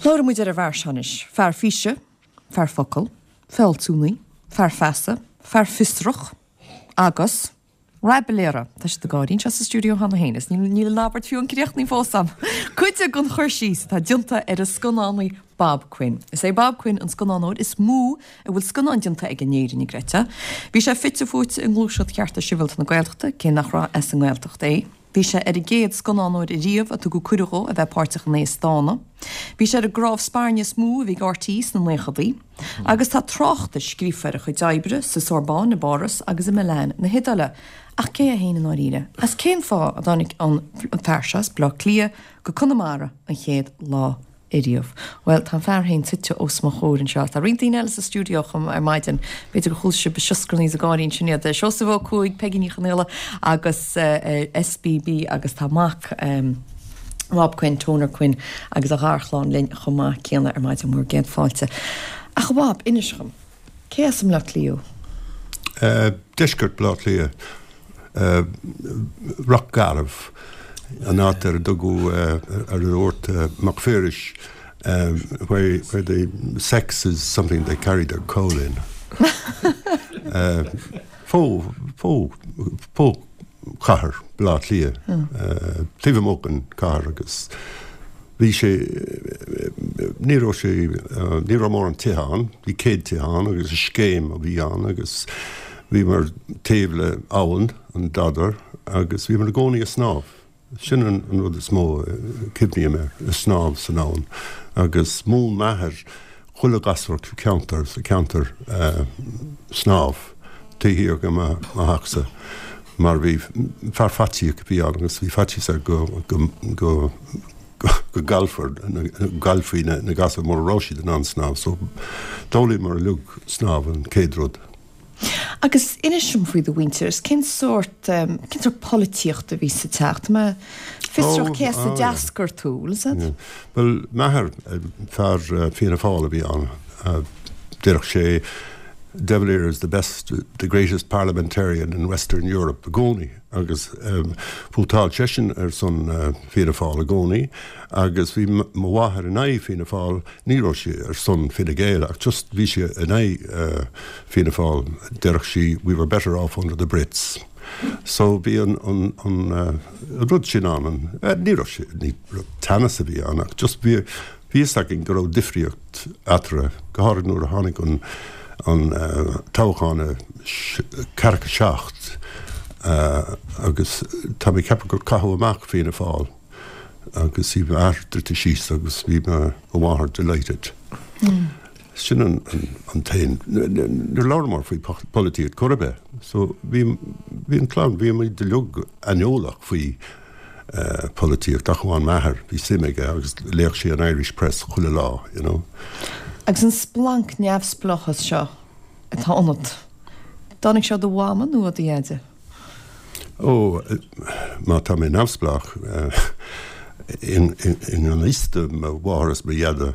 Labhróidh muid ar an bhfear seo anois. Fear físe, fear focal, fealsúnaí, fear feasa, fear fiosrach agus raibiléara. Tá siad ag gáirí anseo sa stiúideo cheana féin is níl an abairt fiú críochnaithe fós a'm. Cuid den chur síos atá déanta ar an scannánaí Bob Quinn. Is é Bob Quinn an scannánóir is mó a bhfuil scannán déanta aige in Éirinn, an gcreidfeá. Bhí sé fite fuaite i ngluaiseacht chearta sibhialta na Gaeltachta, cé nach raibh as an nGaeltacht é. Bhí sé ar an gcéad scannánóir ariamh a tugadh cuireadh dhó a bheith páirteach in Aosdána. Bhí sé ar an gcnámh spairne is mó a bhí ag RTÉ sna naochadaí. Agus tá tráchtais scríofa ar a chuid oibre sa Sorbonne i bPáras agus i Milan na hIodáile. Ach cé é féin i ndáiríre? Agus cén fáth a dtáinig an fear seo as Bleá Cliath go Conamara an chéad lá ariamh. Bhuel, tá an fear féin suite os mo chomhair anseo. Tá roinnt daoine eile sa stiúideo chomh maith ar maidin. B'fhéidir gur chuala sibh ag sioscarnaigh is ag gáirí ansin iad. Seosamh Ó Cuaig, Peigí Ní Chonaola agus SBB agus tá mac Rob Quinn, Toner Quinn agus a gharchlann linn chomh maith céanna ar maidin. Bhur gcéad fáilte. Ach a Bhob, inis dhom, cé as i mBleá Cliath thú? Deisceart Bhaile Átha Cliath. Ráth Garbh, an áit ar a dtugadh, ar a dúirt Mac Piarais, where where the sex is something they carry their coal in. Fo, fo, fo chathair Bhaile Átha Cliath, taobh amuigh den chathair agus Bhí sé, ní raibh sé, ní raibh mórán tithe ann, bhí 100 tithe ann agus scéim a bhí ann agus bhíomar taobh le abhainn, an Dodder, agus bhíomar i gcónaí ag snámh. Sin an rud is mó a cuimhním air, ag snámh san abhainn. Agus mhúin m'athair chuile ghasúr ceantar, sa cheantar snámh taobh thiar de mo theachsa mar bhí fear faitíoch a bhí ann agus bhí faitíos air go go go go gcaillfear gcaillfí na na gasúir mura raibh siad in ann snámh so d'fhoghlaíomar uilig snámh an chéad rud. Agus inis dom faoi do mhuintir, is cén sórt, cén sórt polaitíochta a bhí sa teach? Tá mé fiosrach cé as a d'eascair tú, bhfuil 'fhios a'd? Bhuel, m'athair, fear Fianna Fáil a bhí ann. Déarfadh sé, De Valera is the best, the greatest parliamentarian in Western Europe i gcónaí agus vótáil seisean ar son Fianna Fáil i gcónaí agus bhí mo mháthair in aghaidh Fianna Fáil Ní raibh sí ar son Fine Gael ach just bhí sí in aghaidh Fianna Fáil. Déarfadh sí we were better off under the Brits. So bhí an an an rud sin ann. An ní raibh sé ní raibh teannas a bhí ann ach just bhí bhí fhios againn go raibh difríocht eatarthu, go háirid nuair a tháinig an an toghchán i 47 agus tá mé ag ceapadh gur caitheadh amach Fianna Fáil. agus bhí m'athair druidte síos agus bhí mo mháthair delighted. Sin an an t-aon, níor labhramar faoi polaitíocht chor ar bith. So bhí bhí an clann, bhí muid uilig aineolach faoi polaitíocht ach amháin m'athair, bhí suim aige agus léadh sé an Irish Press chuile lá, you know. Agus an splanc neamhspleáchas seo atá ionat, dtáinig sé ó do mhama nó ó do dheaide? Ó, má tá mé neamhspleách i ngan fhios do mo mháthair is mo dheaide,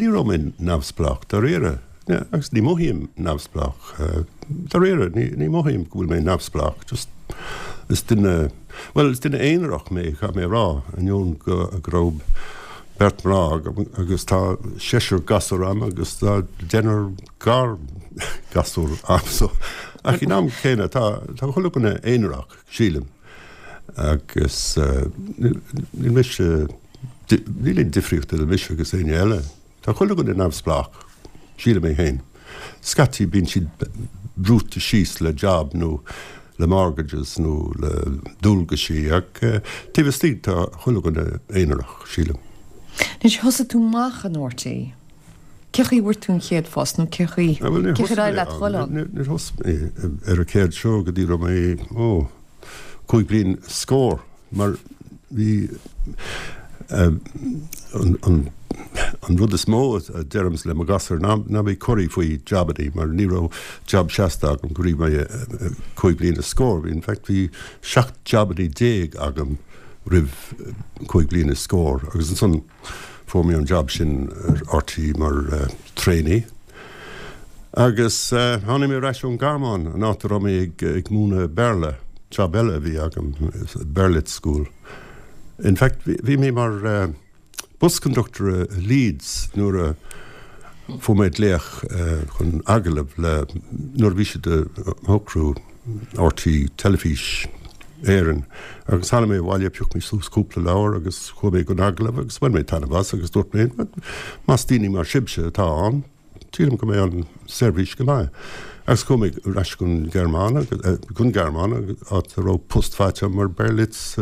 ní raibh mé neamhspleách dáiríre, agus ní mothaím neamhspleách dáiríre, ní mothaím go bhfuil mé neamhspleách, just is duine, bhuel, is duine aonarach mé, caithfidh mé a rá, ainneoin go raibh beirt mná agam agus tá seisear gasúr agam agus tá deichniúr gar gasúr agam so ach in am céanna tá tá chuile dhuine aonarach sílim agus níl mise níl aon difríocht idir mise agus éinne eile. Tá chuile dhuine neamhspleách, sílim é féin. Scaití bíonn siad brúite síos le job nó le mortgages nó le dualgaisí ach taobh istigh tá chuile dhuine aonarach, sílim. Anois thosaigh tú amach in RTÉ. Cé chaoi a bhfuair tú an chéad phost nó cé chaoi, cé chaoi ar éirigh leat dhul ann? Níor thosaigh mé ar an chéad seó go dtí raibh mé, ó, 5 bliain is scór mar bhí an an rud is mó a deirimse le mo ghasúir ná ná bí corraithe faoi jabannaí mar ní raibh jab seasta agam go raibh mé 5 bliain is scór. In fact bhí 17 jabannaí agam roimh 5 bliain is scór agus ansan Fuair mé an jab sin ar RTÉ mar trainee agus tháinig mé ar ais ón Ghearmáin, an áit a raibh mé ag múineadh Béarla, jab eile a bhí agam, Berlitz School. In fact, bhí mé mar. bus conductor i Leeds nuair a fuair mé glaoch chun agallamh le, nuair a bhí siad ag socrú RTÉ Teilifís Éireann agus tháinig mé abhaile, phioc mé suas cúpla leabhar agus chuaigh mé don agallamh agus bhain mé taitneamh as agus dúirt mé más daoine mar sibhse atá ann, Sílim go mbeidh an seirbhís go maith. Agus chuaigh mé ar ais gon Ghearmáin, gon Ghearmáin, áit a raibh post faighte agam mar Berlitz,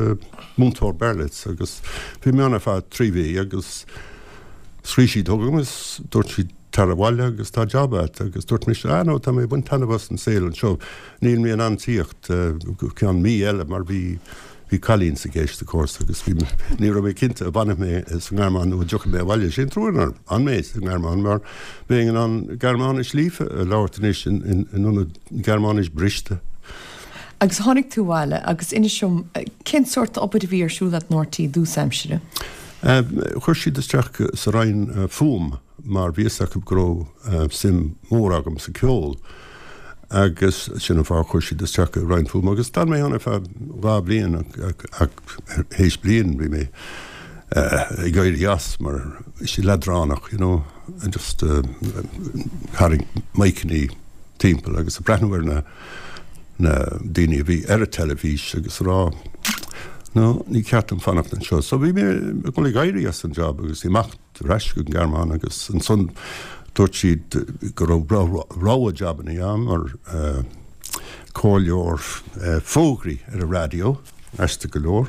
múinteoir Berlitz agus bhí mé ann ar feadh 3 mhí agus scríobh siad chugam agus dúirt siad tar abhaile agus tá job agat agus dúirt mise ah no tá mé ag baint taitneamh as an saol anseo, níl mé in ann tíocht go ceann mí eile mar bhí Bhí cailín sa gceist, of course, agus bhí, ní raibh mé cinnte an bhfanfaidh mé sa nGearmáin nó an dtiocfaidh mé abhaile. Sé an trua nár fhan mé sa nGearmáin mar bheinn in ann Gearmáinis líofa a labhairt anois in ionad Gearmáinis briste. Agus tháinig tú abhaile agus inis dom, cén sórt obair a bhí ar siúl agat in RTÉ i dtús aimsire? Chuir siad isteach sa Roinn Fuaim mar bhí fhios acu go raibh suim mhór agam sa ceol agus sin an fáth a chuir siad isteach i Roinn Fuaime agus d'fhan mé ann ar feadh 2 bhliain ach théis bliain bhí mé ag éirí as mar bhí sé leadránach you know just tarraingt miceannaí timpeall agus ag breathnú ar na na daoine a bhí ar an teilifís agus a rá no ní ceart dom fanacht anseo so bhí mé ag dul ag éirí as an job agus imeacht ar ais go Gearmáin agus ansan dúirt siad go raibh rogha jabannaí ann mar comhairleoir fógraí ar an raidió, aisteach go leor.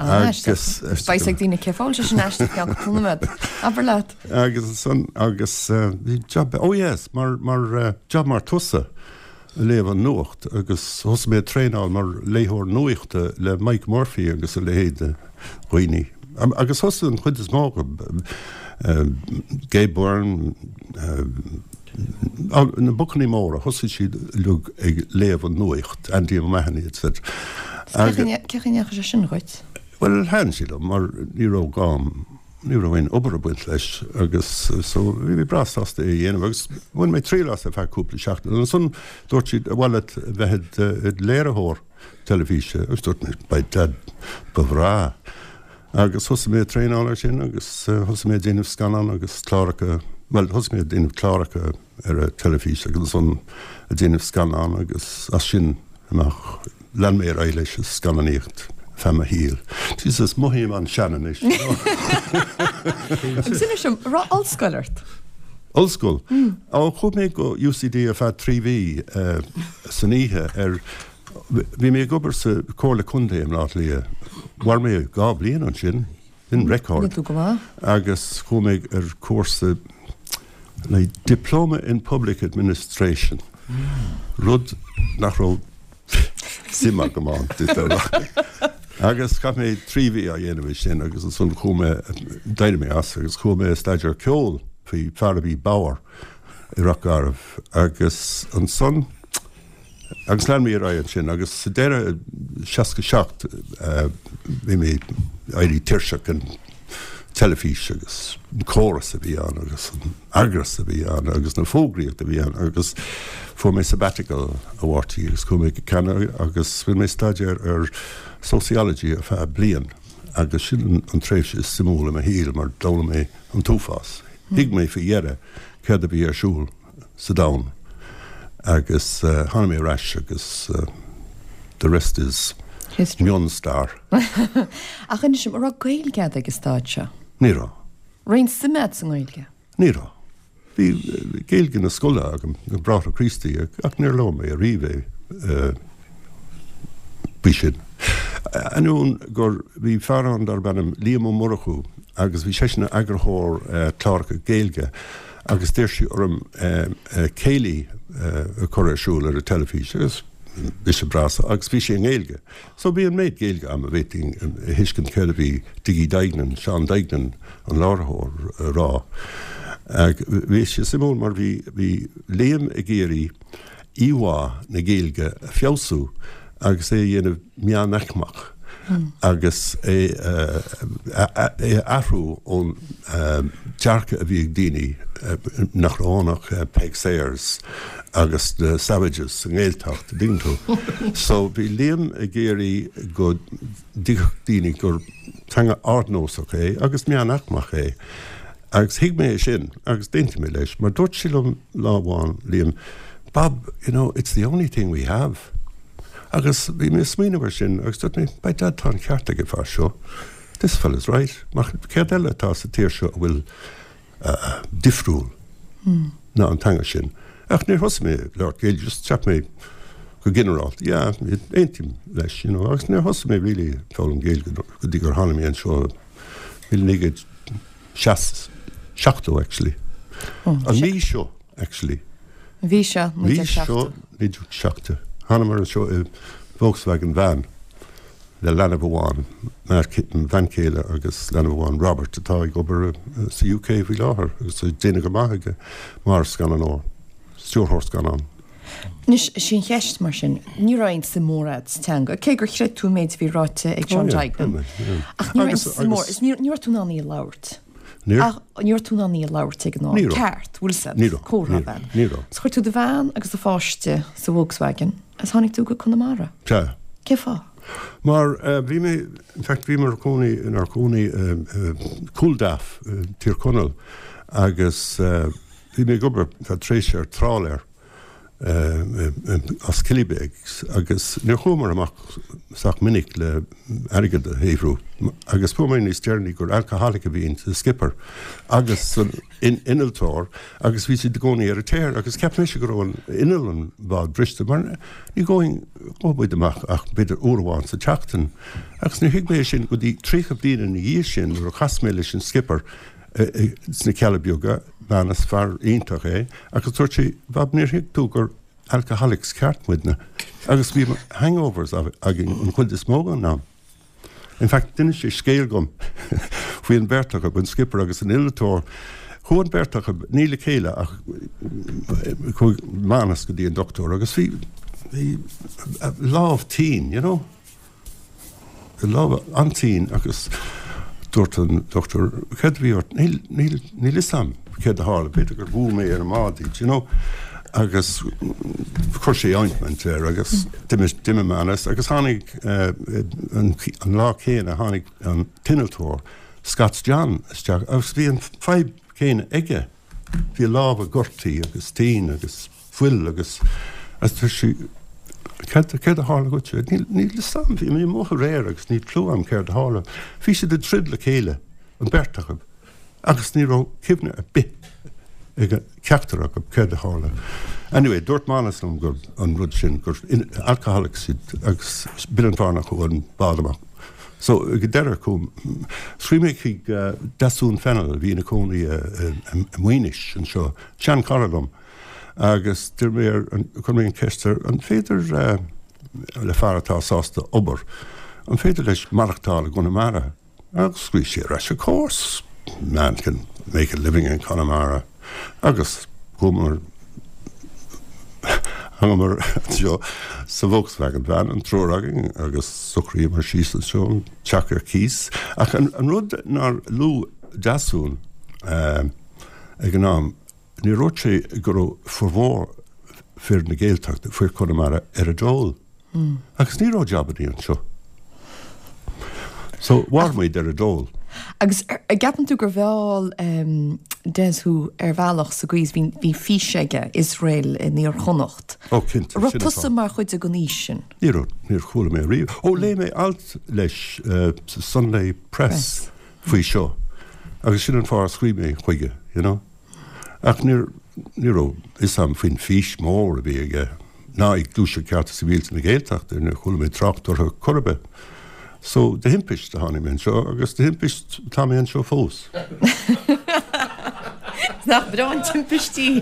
Agus beidh ag daoine cén fáth a bhfuil sé sin aisteach i gceann cúpla nóiméad. Abair leat. Agus ansan agus bhí job, oh yes, mar mar job mar tusa. ag léamh an nuacht agus thosaigh mé ag traenáil mar léitheoir nuachta le Mike Murphy agus a leithéid de dhaoine. Agus thosaigh an chuid is mó acu, Gay Byrne, na bocannaí móra, thosaigh siad uilig ag léamh an nuacht, Andy O'Mahony etc. Cén chaoi a ndeachaigh sé sin dhuit? Bhuel, thaitin sé liom mar ní raibh gá Ní raibh aon obair ag baint leis agus so bhí mé breá sásta é a dhéanamh agus bhain mé triail as ar feadh cúpla seachtain. Ansan dúirt siad, ar mhaith leat bheith id léiritheoir teilifíse agus dúirt mé, by dad, ba bhreá. Agus thosaigh mé ag traenáil ar sin agus thosaigh mé ag déanamh scannán agus cláracha, bhuel thosaigh mé ag déanamh cláracha ar an teilifís agus ansan ag déanamh scannán agus as sin amach lean mé ar aghaidh leis an scannánaíocht feadh mo shaoil. Jesus, mothaím an-sean anois. Agus inis dom, an raibh ollscoil ort? Ollscoil? Ó, chuaigh mé go UCD ar feadh 3 mhí san oíche ar, bhí mé ag obair sa Comhairle Contae i mBleá Cliath. Mhair mé 2 bliain ansin. Sin record. Níl tú go maith. Agus chuaigh mé ar cúrsa le Diploma in Public Administration, rud nach raibh suim agam ann, Agus chaith mé 3 mhí á dhéanamh é sin agus ansan chuaigh mé, d'éirigh mé as agus chuaigh mé ag staidéar ceoil faoi fear a bhí bodhar i Ráth Garbh agus ansan, Agus lean mé ar aghaidh ansin agus sa deireadh, 67, bhí mé ag éirí tuirseach den teilifís agus an córas a bhí ann agus an eagras a bhí ann agus na fógraíocht a bhí ann agus fuair mé sabbatical ó RTÉ agus chuaigh mé go Ceanada agus rinne mé staidéar ar sociology ar feadh bliain agus sin an tréimhse is suimiúla i mo shaol mar d'fhoghlaim mé an t-uafás. Thuig mé faoi dheireadh céard a bhí ar siúl. sa domhan agus tháinig mé ar ais agus the rest is mion-stair. Ach inis dom, an raibh Gaeilge agat ag an staid seo? Ní raibh. Raibh aon suim agat sa nGaeilge? Ní raibh. Bhí Gaeilge na scoile agam, na Bráithre Críostaí, ach níor labhair mé ariamh é faoi sin. Ainneoin gur bhí fear ann darb ainm Liam Ó Murchú agus bhí seisean ina eagarthóir cláracha Gaeilge agus d'iarr sé orm céilí a chur ar siúl ar an teilifís agus bhí sé breá agus bhí sé i nGaeilge. So bhí an méid Gaeilge agam a bhféadfainn a thuiscint céard a bhí Diggy Deignan, Seán Duignan, an láithreoir, a rá. Bhí sé suimiúil mar bhí bhí Liam ag iarraidh íomhá na Gaeilge a feabhsú agus é a dhéanamh meánaicmeach. Agus é a athrú ón dearcadh a bhí ag daoine nach raibh ann ach Peig Sayers agus na Savages sa nGaeltacht, an dtuigeann tú. So bhí Liam ag iarraidh go dtuigfeadh daoine gur teanga ardnósach é agus meánaicmeach é. Agus thuig mé é sin agus d'aontaigh mé leis mar dúirt sé liom lá amháin, Liam, Bob, you know, it's the only thing we have. Agus bhí mé ag smaoineamh ar sin agus dúirt mé, by dad tá an ceart ag an fear seo, this fella's right, mar céard eile atá sa tír seo a bhfuil difriúil ná an teanga sin. Ach níor thosaigh mé ag labhairt Gaeilge, just cheap mé go ginearálta, yeah, aontaím leis, you know, agus níor thosaigh mé really ag foghlaim Gaeilge go dtí gur tháinig mé anseo i 1970 actually. An mhí seo. actually. An mhí seo, 1970. Mhí seo, 1970. Thánamar anseo i Volkswagen van le leanbh amháin, mo bhean chéile agus leanbh amháin, Robert, atá ag obair sa UK faoi láthair agus ag déanamh go maith aige mar scannánóir, stiúrthóir scannán. Anois, is í an cheist mar sin, ní raibh aon suim mhór agat sa teanga, cé gur chreid tú an méid a bhí ráite ag Seán Duignan. Ach ní raibh aon suim mhór, is ní raibh tú in ann í a labhairt. Níor. Ach ní raibh tú in ann í a labhairt ag an am. Ní raibh. Ceart, bhfuil 'fhios a'd. Ní raibh. Comhrá Ní raibh. Ní raibh. So chuir tú do bhean agus do pháiste sa Volkswagen agus tháinig tú go Conamara. Sea. Cén fáth? Mar bhí mé, in fact bhí mé cónaí, inár gcónaí i Cúil Daff i Tír Chonaill agus bhí mé ag obair feadh tréimhse ar trálaer. as Killybegs agus níor chuamar amach sách minic le airgead a shaothrú agus fuair mé níos deireanaí gur alcoholic a bhí insa skipper agus san innealtóir agus bhí siad i gcónaí ar an tear agus cheap mise go raibh an inneall an bhád briste mar ní ghabhfainn ghabh muid amach ach b'fhéidir uair amháin sa tseachtain agus níor thuig mé é sin go dtí 30 bliain ina dhiaidh sin nuair a chas mé leis an skipper sna Cealla Beaga, Manus, fear iontach é, agus dúirt sé, Bob, níor thuig tú gur alcoholics ceart muidne, agus bhí hangovers againn an chuid is mó den am. In fact, d'inis sé scéal dom faoi an bheirt acu, an skipper agus an innealtóir. Chuaigh an bheirt acu, ní le chéile ach chuaigh Manus go dtí an dochtúir agus bhí, bhí a lámh tinn, you know. Lámh an-tinn agus dúirt an dochtúir, céard a bhí ort? Níl, níl, níl fhios a'm céard a tharla, b'fhéidir gur bhuail mé ar an mbád iad, you know. Agus chuir sé ointment air agus d'imigh, d'imigh Manus agus tháinig an, an lá céanna tháinig an t-innealtóir, Scots John, isteach agus bhí an fadhb chéanna aige. Bhí a lámha gortaithe agus tinn agus fuil agus agus dúirt sí, Céard, céard a tharla dhuit? Níl, níl fhios a'm, bhí mé amuigh aréir agus níl clue a'm céard a tharla. Bhí siad ag troid le chéile, an bheirt acu, agus ní raibh cuimhne ar bith ag ceachtar acu céard a tharla. Anyway, dúirt Manus liom gur an rud sin, gur alcoholics iad agus b'in an fáth nár chuaigh an bád amach. So, ag an deireadh, chuaigh, scríobh mé chuig Deasún Fennell, a bhí ina cónaí i Maínis anseo, seanchara liom, agus d'iarr mé air, chuir mé an cheist air, an féidir le fear atá sásta obair, an féidir leis maireachtáil i gConamara? Agus scríobh sé ar ais, of course, man can make a living in Connemara. Agus chuamar, thángamar anseo sa Volkswagen van, an triúr againn, agus shocraíomar síos anseo, an teach ar cíos. Ach an rud nár luaigh Deasún ag an am, níor dhúirt sé go raibh formhór fir na Gaeltachta, fir Chonamara, ar an dól. Agus ní raibh jabannaí anseo. So, mhair muid ar an dól. Agus an gceapann tú gur mheall Des thú ar bhealach sa gcaoi is bhí bhí fís aige, Iosrael in Iar-Chonnacht. Ó cinnte, Raibh sin tusa mar chuid den fhís sin? Ní raibh, níor chuala mé riamh. Ó léigh mé alt leis sa Sunday Press faoi seo agus sin an fáth ar scríobh mé chuige, you know. Ach níor, ní raibh fhios a'm faoin fís mór a bhí aige, ná ag Gluaiseacht Cearta Sibhialta na Gaeltachta, níor chuala mé trácht orthu chor ar bith. So, de thimpist a tháinig mé anseo agus de thimpist tá mé anseo fós. Nach breá an timpist í!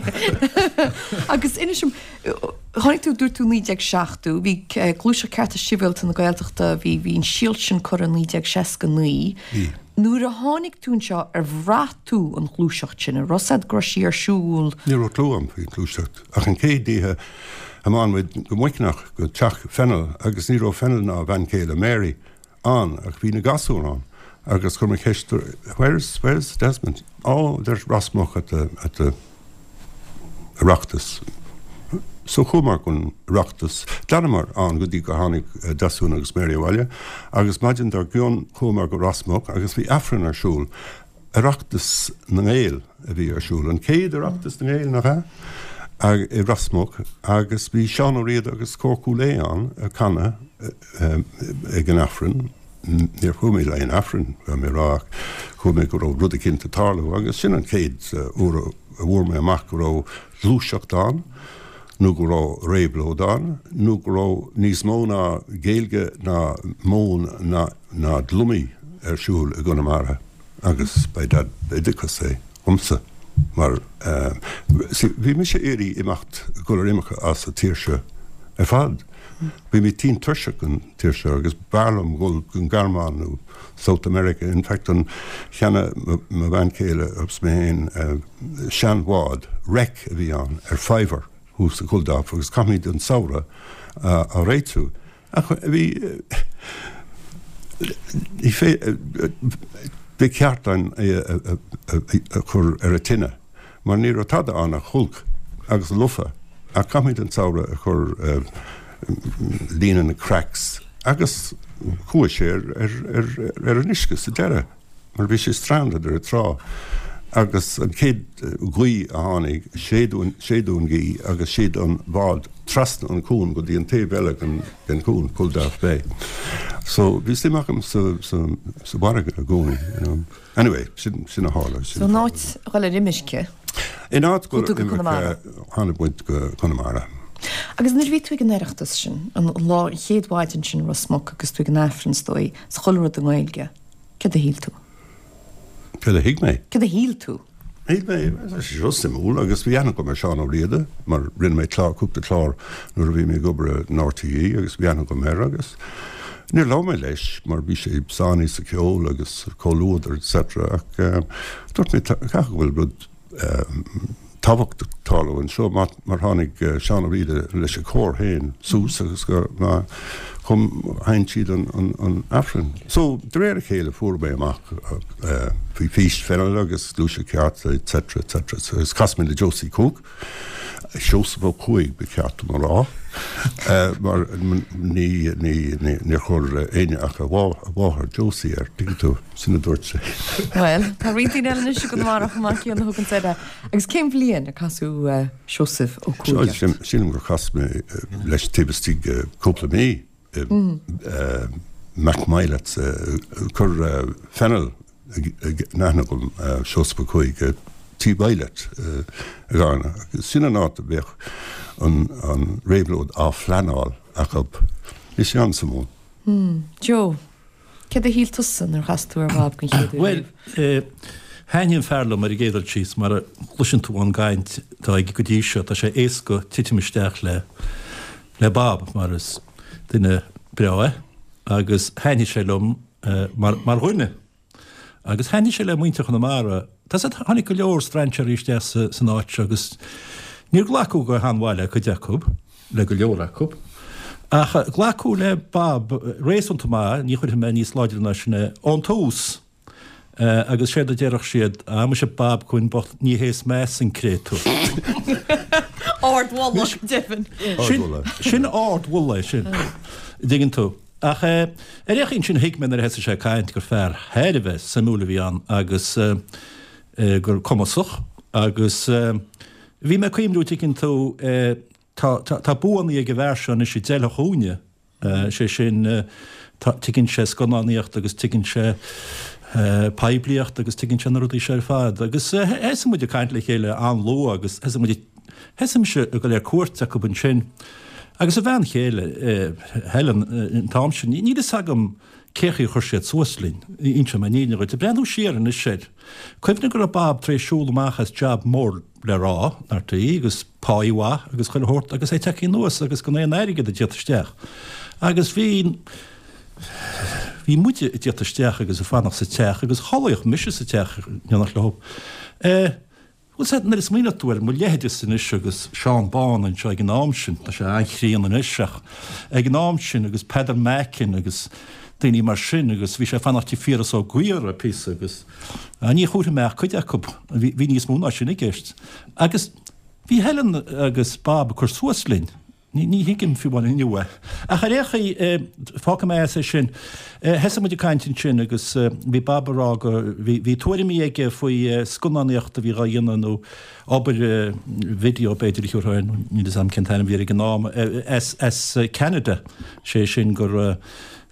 Agus inis dom, tháinig tú, dúirt tú 1970, bhí Gluaiseacht Cearta Sibhialta na Gaeltachta, bhí, bhí an síol sin curtha i 1969. Bhí. Nuair a tháinig tú anseo, ar bhraith tú an ghluaiseacht sin? An raibh 's a'd go raibh sí ar siúl? Ní raibh clue a'm faoin ghluaiseacht ach an chéad oíche thiomáin muid go Muiceanach go teach Fennell agus ní raibh Fennell ná a bhean chéile Mary. ann ach bhí na gasúir ann agus chuir mé ceist where's, where's Desmond? Oh, they're Ros Muc at the, at the Oireachtas. So chuamar gon Oireachtas, d'fhanamar ann go dtí go tháinig Deasún agus Mary abhaile agus maidin dár gcionn chuamar go Ros Muc agus bhí Aifreann ar siúl. Oireachtas na nGael a bhí ar siúl, an chéad Oireachtas na nGael, nach ea? i Ros Muc agus bhí Seán Ó Riada agus Cór Chúil Aodha ann ag canadh ag an Aifreann. Níor chuaigh mé le aon Aifreann, caithfidh mé a rá, ach chuala mé go raibh rud eicínt ag tarlú agus sin an chéad uair a bhfuair mé amach go raibh gluaiseacht ann nó go raibh réabhlóid ann nó go raibh níos mó ná Gaeilge ná móin ná ná dlumaí ar siúl i gConamara. Agus ba é d'oideachas é dhomsa mar see bhí mise ag iarraidh imeacht, dul ar imirce as an tír seo ar fad. Bhí mé tinn tuirseach den tír seo agus b'fhearr liom dhul gon Ghearmáin nó South America. In fact an cheannaigh mo bhean chéile agus mé féin seanbhád, wreck a bhí ann, ar faobhar thuas i gCuldaff agus caithfimid an samhradh á réitiú. Ach bhí, ní ba cheart dúinn é a chur ar an tine mar ní raibh tada ann ach hulk agus lofa ach caithfimid an samhradh a chur líonadh na cracks agus chuaigh sé ar an uisce sa deireadh. mar bhí sé stranded ar an trá agus an chéad ghaoth a tháinig, séideadh an ghaoth agus shéid an bád trasna an cuan go dtí an taobh eile den chuan, Culdaff Bay. So bhí suim agam sa sa bhfarraige i gcónaí, you know. Anyway, sin sin a tharla. So in áit dhul ar imirce, In áit dhul ar imirce, tháinig muid go Conamara. Agus nuair a bhí tú ag an Oireachtas sin, an lá, an chéad mhaidin sin i Ros Muc agus tú ag an Aifreann is dóigh, is chuile rud i nGaeilge, Céard a shíl tú? Céard a thuig mé? Céard a shíl tú? Shíl mé, tá sé seo suimiúil agus bhí aithne agam ar Seán Ó Riada mar rinne mé clár, cúpla clár nuair a bhí mé ag obair in RTÉ agus bhí aithne agam air agus níor labhair mé leis mar bhí sé sáinnithe sa cheol agus comhluadar etc ach dúirt mé caithfidh go bhfuil rud tábhachtach ag tarlú anseo mar tháinig Seán Ó Riada leis an chór féin suas agus go chum sheinn siad an Aifreann. So de réir a chéile fuair mé amach faoi Fís Fennell agus Gluaiseacht Chearta etc etc agus chas mé le Josie Cooke, Seosamh Ó Cuaig ba cheart dom a rá mar ní níor chuir éinne ach a mháthair Josie air, tuigeann tú. Sin a dúirt sé. Bhuel, tá roinnt daoine eile anois i gConamara chomh maith céanna a thugann air. Agus cén bhliain ar casadh Seosamh Ó Cuaig ort? Sílim gur chas mé leis taobh istigh de chúpla mí i Mac Mylett's. Chuir Fennell in aithne dhom Seosamh Ó Cuaig i Tí Mhylett i gCarna. Agus sin an áit a bheadh an réabhlóid á phleanáil acu. Bhí sé an-suimiúil. Joe. Céard a shíl tusa nuair a chas tú ar Bhob den chéad uair riamh? Bhuel, thaitnigh an fear liom ar an gcéad dul síos, mar a chloiseann tú ón gcaint atá aige go dtí seo, tá sé éasca titim isteach le le Bob mar is duine breá é agus thaitnigh sé liom mar mar dhuine. Agus thaitnigh sé le muintir Chonamara. Tá 's agat, tháinig go leor strainséirí isteach san áit seo agus níor glacadh go han-mhaith le cuid acu, le go leor acu. Ach glacadh le Bob réasúnta maith, ní chuirfidh mé níos láidre ná sin é, ón tús. Agus séard a déarfadh siad, Ah, muise Bob Quinn bocht, ní hé is measa an créatúr. Ardmholadh, go deimhin. Sin ardmholadh é sin, an dtuigeann tú. Ach ar aon chaoi ansin thuig mé nuair a thosaigh sé ag caint gur fear thar a bheith suimiúil a bhí ann agus gur cumasach agus bhí mé ag cuimhniú tuigeann tú tá tá buanna ag an bhfear seo anois a d'fheilfeadh dhúinne, sé sin tá tuigeann sé scannánaíocht agus tuigeann sé poiblíocht agus tuigeann sé na rudaí seo ar fad agus thosaigh muid ag caint le chéile an-luath agus thosaigh muid ag Thosaigh mise ag dul ar cuairt acu ansin agus a bhean chéile, Helen, an t-am sin. Níl fhios agam cé chaoi a chuir siad suas linn, inseoidh mé an fhírinne dhuit. Ag breathnú siar anois air, cuimhnigh go raibh Bob tar éis siúl amach as jab mór le rá, in RTÉ, agus páí mhaith agus chuile shórt agus é tagtha anuas agus gan aon airgead ag tíocht isteach. Agus bhí, bhí muide ag tíocht isteach agus ag fanacht sa teach agus chodlaíodh mise sa teach in éineacht leo. Bhuel, sea, nuair a smaoineoidh tú ar mo leithéidese anois agus Seán Bán anseo ag an am sin, tá sé an-chríonna anois ach ag an am sin agus Peadar Macken agus. daoine mar sin agus bhí sé ag fanacht tigh Phiaras Ó Gaora píosa agus ní chuirfidh mé ach cuid acu, bhí níos mó ná sin i gceist. Agus bhí Helen agus Bob ag cur suas linn. Ní thuigim fiú amháin inniu é. Ach ar aon chaoi, fágfaidh mé as é sin. Thosaigh muid ag caint ansin agus bhí Bob ag rá go, bhí tuairimí aige faoi scannánaíocht a bhí dhá dhéanamh nó obair video b'fhéidir a thiúrfá air, níl 'fhios a'm cén t-ainm a bhí air ag an am, as Ceanada, sé sin gur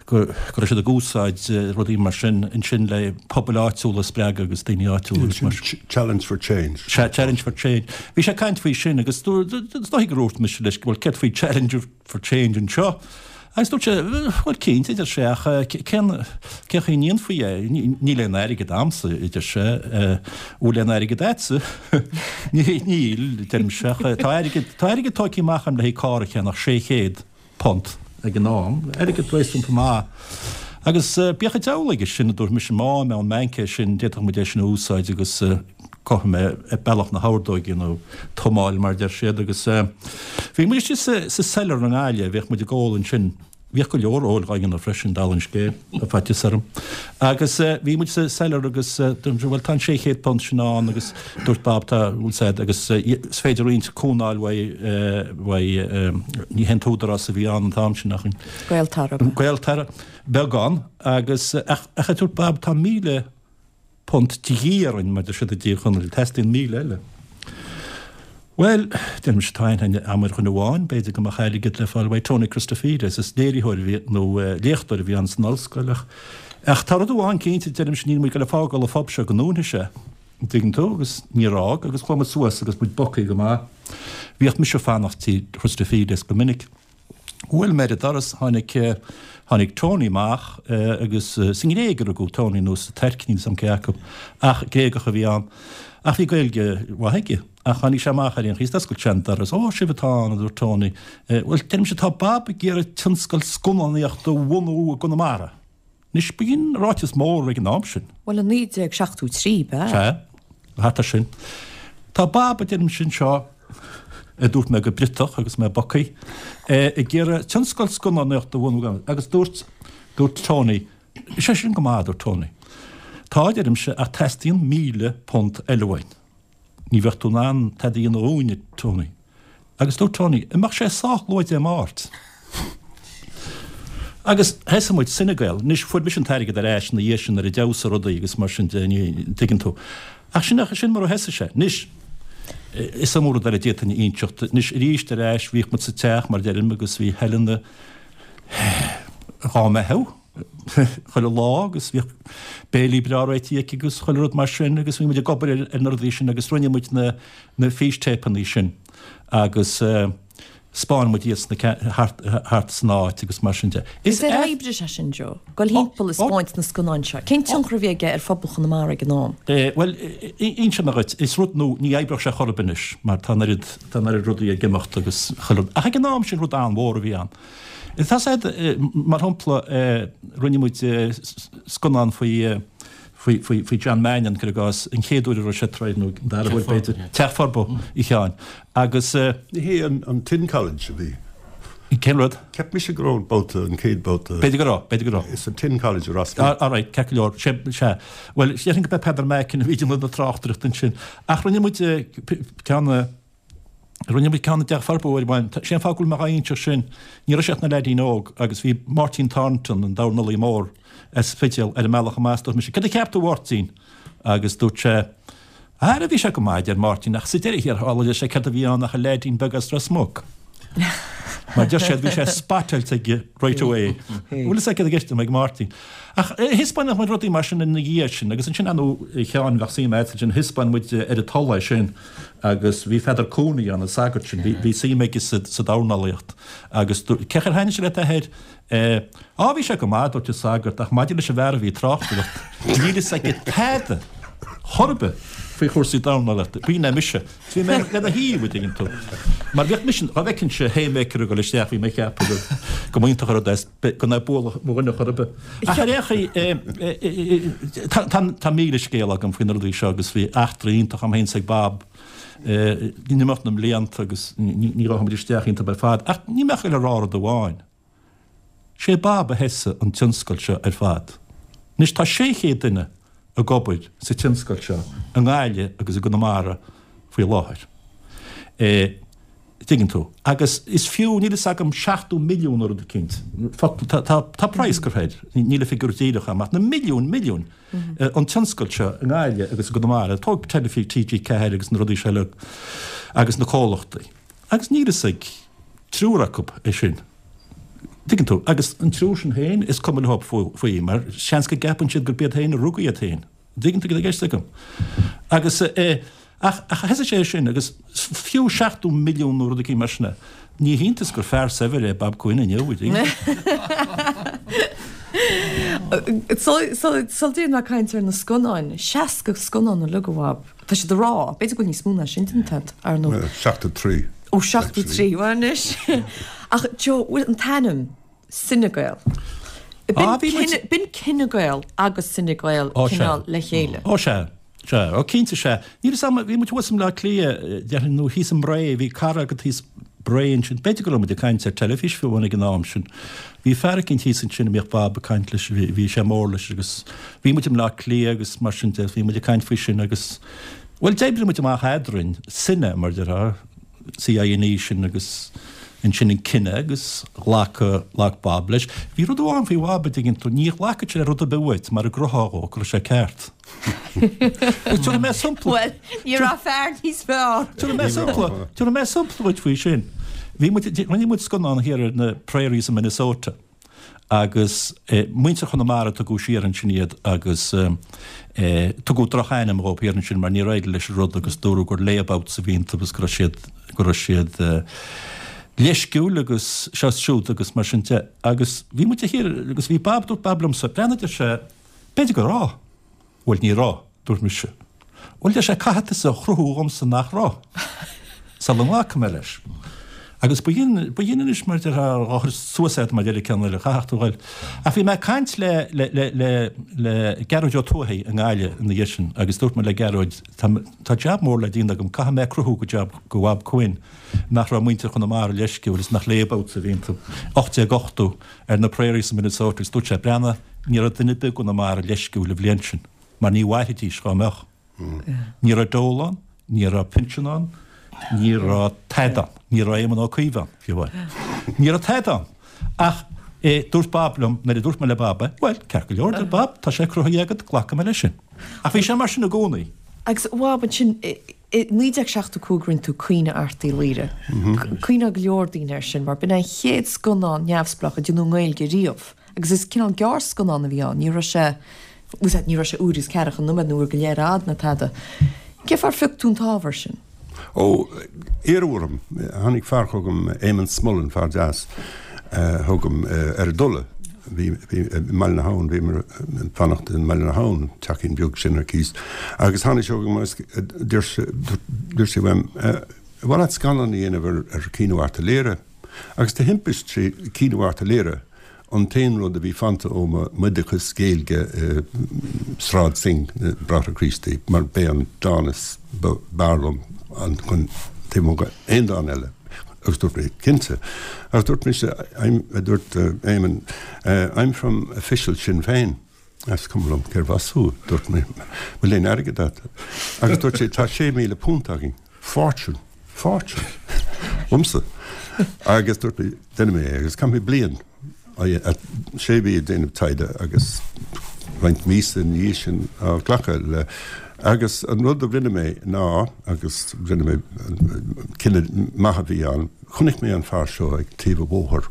go raibh siad ag úsáid rudaí mar sin ansin le pobail áitiúla a spreagadh agus daoine áitiúla agus mar sin. Challenge for Change. Sea, Challenge for Change. Bhí sé ag caint faoi sin agus is dóigh gur dhúirt mise leis, bhuel céard faoi Challenge for Change anseo? Agus dúirt sé, bhuel cinnte, a deir sé, ach cén cén chaoi a ndéanfaí é? Níl aon airgead a'msa, a deir sé, bhfuil aon airgead a'dsa? Níl, a deirimse, ach tá airgead, tá airgead tógtha amach a'm le haghaidh carr a cheannach, 600. punt ag an am, airgead réasúnta maith. Agus bíodh an diabhal aige sin, a dúirt mise, má fhaighim ón mbanc é sin, d'fhéadfadh muid é sin a úsáid agus gabhfaidh mé ar bealach na hordóige nó tumáil mar a deir siad. Agus bhí muid istigh sa cellar i nGaillimh, bhíodh muid ag ól ansin. Bhíodh go leor óil dhá dhéanamh freisin, dála an scéil, tá faitíos orm. Agus bhí muid sa cellar agus dúirt mise, bhuel tá an £600 sin ann agus dúirt Bob tá, bhfuil said, agus is féidir roinnt cúnamh a fháil uaidh, uaidh, ní hé an t-údarás a bhí ann an t-am sin ach an. Gaeltarra. Gaeltarra, beagán agus ach ach a dúirt Bob tá £1,000 de dhíth orainn mar deir siad i dTír Chonaill, teastaíonn 1,000 eile. Bhuel, deir mise, tá aithne a'm ar dhuine amháin, b'fhéidir go mbeadh airgead le fáil uaidh, Tony Christofides, is léiritheoir a bhí, nó léachtóir a bhí ann san ollscoil ach, ach tá rud amháin cinnte, deirimse, níl muid ag goil ag fágáil an phub seo go ndúnfaidh sé, an dtuigeann tú, agus níor fhág, agus chuaigh muid suas agus muid bogthaí go maith. Bhíodh mise ag fanacht tí Christofides go minic. Bhuail mé ar an doras, tháinig, tháinig Tony amach agus sa nGréig a rugadh Tony nó sa Tuirc, níl 'fhios a'm cé acu, ach Gréagach a bhí ann. Ach bhí Gaeilge mhaith aige. Ach tháinig sé amach ar aon chaoi is d'oscail sé an doras. Ó, sibh atá ann, a dúirt Tony. Bhuel, deirimse, tá Bob ag iarraidh tionscal scannánaíochta a bhunú i gConamara. Anois, b'in ráiteas mór ag an am sin. Bhuel, i 1973, b'ea? Sea, thart ar sin. Tá Bob, a deirimse anseo, a dúirt mé go bpriotach agus mé bogthaí, ag iarraidh tionscal scannánaíochta a bhunú agus dúirt, dúirt Tony, sé sin go maith, a dúirt Tony. Tá, a deirimse, ach teastaíonn £1,000 eile uainn. Ní bheadh tú in ann tada a dhéanamh dhúinn, a Tony. Agus dúirt Tony, an mbeadh sé sách luath Dé Máirt? Agus thosaigh muid Cinegael. Anois, fuair mise an t-airgead ar ais ina dhiaidh sin nuair a d'fheabhsaigh rudaí agus mar sin de, ní, tuigeann tú. Ach sin, sin mar a thosaigh sé. Anois, is iomaí rud eile a d'fhéadfainn a inseacht. Anois, arís ar ais, bhíodh muid sa teach, mar a deirim, agus bhí Helen dhá mbeathú. chuile lá agus bhíodh béilí breá réitithe aici agus chuile rud mar sin agus bhí muid ag obair ar na rudaí sin agus rinne muid na na fístéipeanna sin agus 'spáin muid iad sna thart thart san áit agus mar sin de. Is ar oibrigh sé sin, Joe? Goil thimpeall ag 'spáint na scannáin seo. Cén tionchar a bhí aige ar phobal Chonamara ag an am? Bhuel, inseoidh mé dhuit, is rud nua, ní oibreodh sé chor ar bith anois mar tá an oiread, tá an oiread rudaí ag imeacht agus chuile rud. Ach ag an am sin rud an-mhór a bhí ann. Tá said, mar shampla, rinne muid scannán faoi faoi faoi faoi John Mannion, cuir i gcás, an chéad uair a raibh sé ag troid, nó an dara huair b'fhéidir, Teach Furbo a Sheáin. Agus. Ní hé an Tin College a bhí. Cén rud? Cheap mise go raibh an babhta, an chéad babhta. B'fhéidir go raibh, b'fhéidir go raibh. Sa Tin College i Ros Muc. All right, ceart go leor, sea, sea. Bhuel, déarfainn go b'é Peadar Macken a bhí ag déanamh na tráchtaireachta ansin. Ach rinne muid ceann, Rinne muid ceann i dTeach Furbo uair amháin. Sé an fáth go bhfuil mé dhá inseacht sin, ní raibh sé ach na leaidín óg agus bhí Máirtín Thornton, an dornálaí mór as Spidéal, ar an mbealach amach is dúirt mise, Céard a cheap tú a Mháirtín? Agus dúirt sé, Ara bhí sé go maith, a deir Máirtín, ach sa deireadh thiar thall, a deir sé, céard a bhí ann ach an leaidín beag as Ros Muc. Mar deir siad, bhí sé spottáilte aige right away. Bhfuil fhios agat céard i gceist ag Máirtín. Ach thaispeáineadh muid rudaí mar sin ina dhiaidh sin agus ansin, ar ndóigh, a Sheáin, bheadh suim agat ansin, thaispeáin muid ar an Tulaigh é sin. Agus bhí Pheadar Cooney ann, an sagart sin, bhí suim aige sa dornálaíocht. Agus cén chaoi ar thaitnigh sé leat a athair? Á, bhí sé go maith, a dúirt an sagart, ach maidir leis an bhfear a bhí ag tráchtaireacht, níl fhios aige tada chor ar bith faoi chúrsaí dornálaíochta. B'in é mise. Bhí mé lena thaobh, a dtuigeann tú. Mar bhíodh mise, dá bhfeicinnse haymaker ag dul isteach, bhí mé ag ceapadh go mb'iontach an rud é gan é bualadh mo dhuine chor ar bith. Ach ar aon chaoi, tá 1000 scéal agam faoi na rudaí seo agus bhí eachtraí iontacha agam féin is ag Bob in imeacht na mblianta agus ní ghabhfaidh muid isteach iontu ar fad. Ach níl mé ach ag goil a rá rud amháin. Sé Bob a thosaigh an tionscal seo ar fad. Anois tá 600 duine ag obair sa tionscal seo i nGaillimh agus i gConamara faoi láthair. Tuigeann tú. Agus is fiú, níl fhios agam, 70 milliún nó rud eicínt, tá, tá, tá praghas curtha air, níl an figiúr díreach agam, ach na milliúin, milliúin, an tionscal seo i nGaillimh agus i gConamara, tóg Teilifís TG4 agus na rudaí seo uilig agus na comhlachtaí. Agus níl fhios ag triúr acu é sin. Tuigeann tú. Agus an triúr sin féin, is cuma leo faoi, mar seans go gceapann siad gurb iad féin a rug iad féin. Dtuigeann tú cad atá i gceist agam? Agus eh, ach, ach thosaigh sé sin agus fiú 70 milliún nó rud eicínt mar sin é. Ní hiontas gur fear saibhir é Bob Quinn inniu, an dtuigeann tú? Sula dtéann mé ag caint ar na scannáin, 60 scannán uilig a Bhob. Tá siad ag rá, b'fhéidir go bhfuil níos mó ná sin déanta agat, ar ndóigh. 73. Ó, 73, bhuel anois. Ach Joe, bhfuil an t-ainm, Cine Gael. Ah, bhí muid. B'in Cine Gael agus Cine Gael Ó, sea. cineál le chéile. Ó, sea. Sea. Ó, cinnte, sea. Níl fhios agam, bhí muid thuas i mBleá Cliath, déarfainn, nó thíos i mBré, bhí cara agat thíos Bré ansin. B'fhéidir go raibh muid ag caint ar teilifís fiú amháin ag an am sin. Bhí fear eicínt thíos ansin a mbíodh Bob ag caint leis, bhí, bhí sé mór leis agus bhí muid i mBleá Cliath agus mar sin de, bhí muid ag caint faoi sin agus, bhuel, d'oibrigh muid amach eadrainn, cine, mar a déarfá. CINE sin agus ansin an cine agus ghlac, ghlac Bob leis. Bhí rud amháin faoi Bhob a dtuigeann tú, ní ghlacfadh sé le rud ar bith uait mara gcruthófá dhó go raibh sé ceart. Agus tabharfaidh mé sampla. Bhuel, ní raibh fear níos fearr. Tabharfaidh mé sampla, tabharfaidh mé sampla dhuit faoi sin. Bhí muid, rinne muid scannán thiar ar na prairies i Minnesota. agus muintir Chonamara tugadh siar ansin iad agus tugadh droch-ainm dhóibh thiar ansin mar níor éirigh leis an rud agus dúradh gur layabouts a bhí iontu agus go raibh siad, go raibh siad leisciúil agus seo is siúd agus mar sin de. Agus bhí muid thiar agus bhí Bob, dúirt Bob liomsa, breathnaigh a deir sé, b'fhéidir go raibh. Bhuel, ní raibh, dúirt mise. Bhuel, deir sé, caithfidh tusa a chruthú dhomsa nach raibh, sula nglacfaidh mé leis. Agus ba dhin, ba dhin anois mar déarfá, dhá chur suas agat mar deir an ceann eile, chaithfeadh tú dhul. Ach bhí mé ag caint le, le, le, le, le Gearóid Ó Tuathaigh i nGaillimh ina dhiaidh sin agus dúirt mé le Gearóid, tá, tá jab mór le déanamh agam, caithfidh mé cruthú go jab, go Bhob Quinn nach raibh muintir Chonamara leisciúil is nach layabouts a bhí iontu. 1880. ar na prairies i Minnesota agus dúirt sé, Breathnaigh, ní raibh duine ar bith i gConamara leisciúil an bhliain sin, mar ní mhairfidís dhá mbeadh. Ní raibh dole ann, ní raibh pinsean ann, ní raibh tada ann, ní raibh Éamon Ó Cuív ann, fiú amháin. Ní raibh tada ann. Ach eh, dúirt Bob liom, nuair a dúirt mé le Bob é, bhuel, ceart go leor, deir Bob, tá sé cruthaithe agat, glacfaidh mé leis sin. Ach bhí sé mar sin i gcónaí. Agus a Bhob, ansin, I 1975 rinne tú Caoineadh Airt Uí Laoghaire. Cuimhneoidh go leor daoine air sin mar b'in é an chéad scannán neamhspleách a déanadh i nGaeilge riamh agus is cineál gearrscannán a bhí ann, ní raibh sé, bhfuil ní raibh sé uair agus ceathracha nóiméad nó uair go leith ar fhad ná tada. Cén fáth ar phioc tú an t-ábhar sin? Ó, iarradh orm. Tháinig fear chugam, Éamonn Smullen, fear deas, chugam ar an dole. Bhí, bhí, i mBaile na hAbhann, bhíomar ag fanacht i mBaile na hAbhann, teachín beag sin ar cíos, agus tháinig sé chugam agus dúirt sé, dúirt sé uaim, ar mhaith leat scannán a dhéanamh ar, ar Chaoineadh Airt Uí Laoghaire? Agus de thimpist sé Caoineadh Airt Uí Laoghaire an t-aon rud a bhí fanta ó m'oideachas Gaeilge i Sráid Synge na Bráithre Críostaí, mar b'é an dán is, b'fhearr liom an, chun, taobh amuigh d'aon dán eile. Agus dúirt mé, cinnte. Agus dúirt mise, I'm, a dúirt Éamonn, I'm from official Sinn Féin. Is cuma liom cérbh as thú, dúirt mé, bhfuil aon airgead agat? Agus dúirt sé, tá £6,000 againn. Fortune, fortune. Domsa. Agus dúirt mé, déanfaidh mé é agus chaith mé bliain. sé mhí ag déanamh taighde agus roinnt míosa ina dhiaidh sin á ghlacadh le agus an rud a rinne mé ná agus rinne mé cinneadh maith a bhí ann chonaic mé an fear seo ag taobh an bhóthair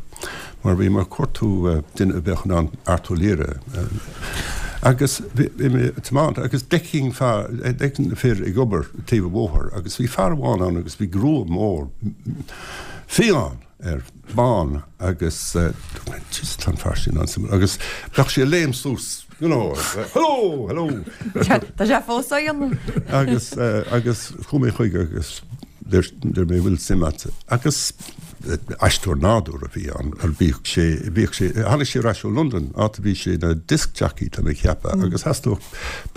mar bhí mé ag cuartú duine a bheadh in ann Art Ó Laoghaire agus bhí mé ag tiomáint agus d'fheicfinn fear d'fheicfinn na fir ag obair taobh an bhóthair agus bhí fear amháin ann agus bhí grua mór fiáin air bán agus Jesus tá an fear sin an-suimiúil agus bheadh sé ag léim suas you know hello hello Tá sé fós á dhéanamh. agus agus chuaigh mé chuige agus deir deir mé bhfuil suim agat agus aisteoir nádúr a bhí ann ar bhíodh sé bhíodh sé tháinig sé ar ais ó Londain áit a bhí sé ina disc jockey tá mé ag ceapadh agus theastódh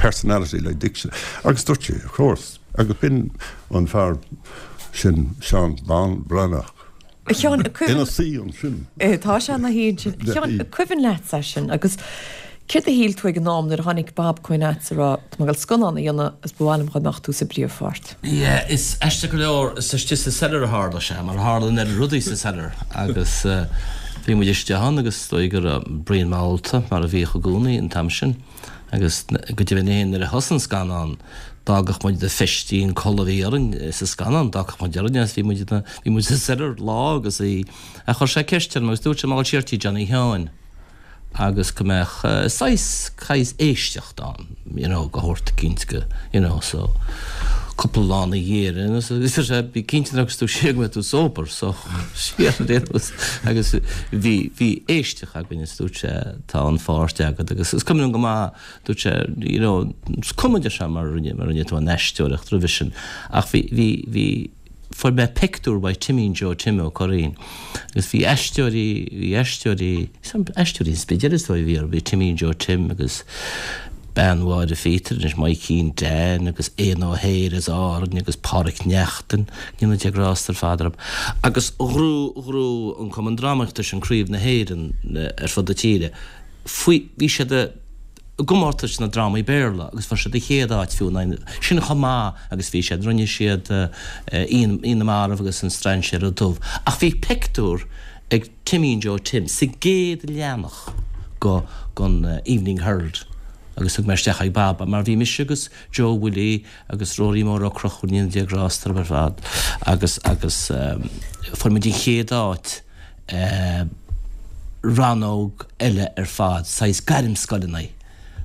personality le dic agus dúirt sé of course agus b'in an fear sin Seán Bán Breathnach. A Sheáin, Ina suí ansin. Tá sé ina shuí ansin. A Sheáin, an cuimhin leatsa é sin agus céard a shíl tú ag an am nuair a tháinig Bob chugat ag rá, tá mé ag dul scannán a dhéanamh agus ba mhaith liom go mbeadh tú sa bpríomhpháirt. Yeah, is aisteach go leor, is istigh sa cellar a tharla sé, mar a tharla an oiread rudaí sa cellar agus bhí muid istigh ann agus is dóigh go raibh Brian mall-ta mar a bhíodh i gcónaí an t-am sin agus go deimhin féin nuair a thosaigh an scannán d'fhágadh muid na feistí an culaith a bhí orainn sa scannán, d'fhágadh muid orainn agus bhí muid bhí muid sa cellar lá agus í ach chuir sé ceist orm agus dúirt sé mbeadh siar tí Johnny Sheáin agus go mbeadh saghas saghas éisteacht ann you know go thabhairt cinnte go you know so cúpla lá ina dhiaidh agus dúirt sé bí cinnte nuair a thiocfas tú siar go mbeidh tú sober so siar ar aon nós agus bhí bhí éisteacht againn agus dúirt sé tá an pháirt agat agus is cuimhin liom go maith dúirt sé you know is cuma deir sé mar rinne mar rinne tú an aisteoireacht roimhe sin ach bhí bhí bhí fuair mé pictiúr uaidh Timín Joe Tim Ó Curraoin agus bhí aisteoirí bhí aisteoirí aisteoirí an Spidéil is dóigh a bhí orthu bhí Timín Joe Tim agus bean Mháire Phíotair anois Maidhcín Dan agus Éanna Ó hEithir as Árainn agus Páraic Neachtain go ndéana Dia grásta ar fad orthu agus ghnóthaigh ghnóthaigh an Cumann Drámaíochta sin Craobh na hÉireann ar fud na tíre faoi bhí siad i gcomórtais na drámaí Béarla agus fuair siad an chéad áit fiú in aghaidh na, sin chomh maith agus bhí siad, rinne siad Oíche na Marbh agus An Strainséara Dubh ach bhí pictiúr ag Timín Joe Tim sa gcéad leathanach go gon Evening Herald agus thug mé isteach ag Bob mar bhí mise agus Joe Willie agus Rory Mór Ó Conchúir go ndéana Dia grásta orthu ar fad agus agus fuair muid an chéad áit rannóg eile ar fad, saghas gairmscoileanna.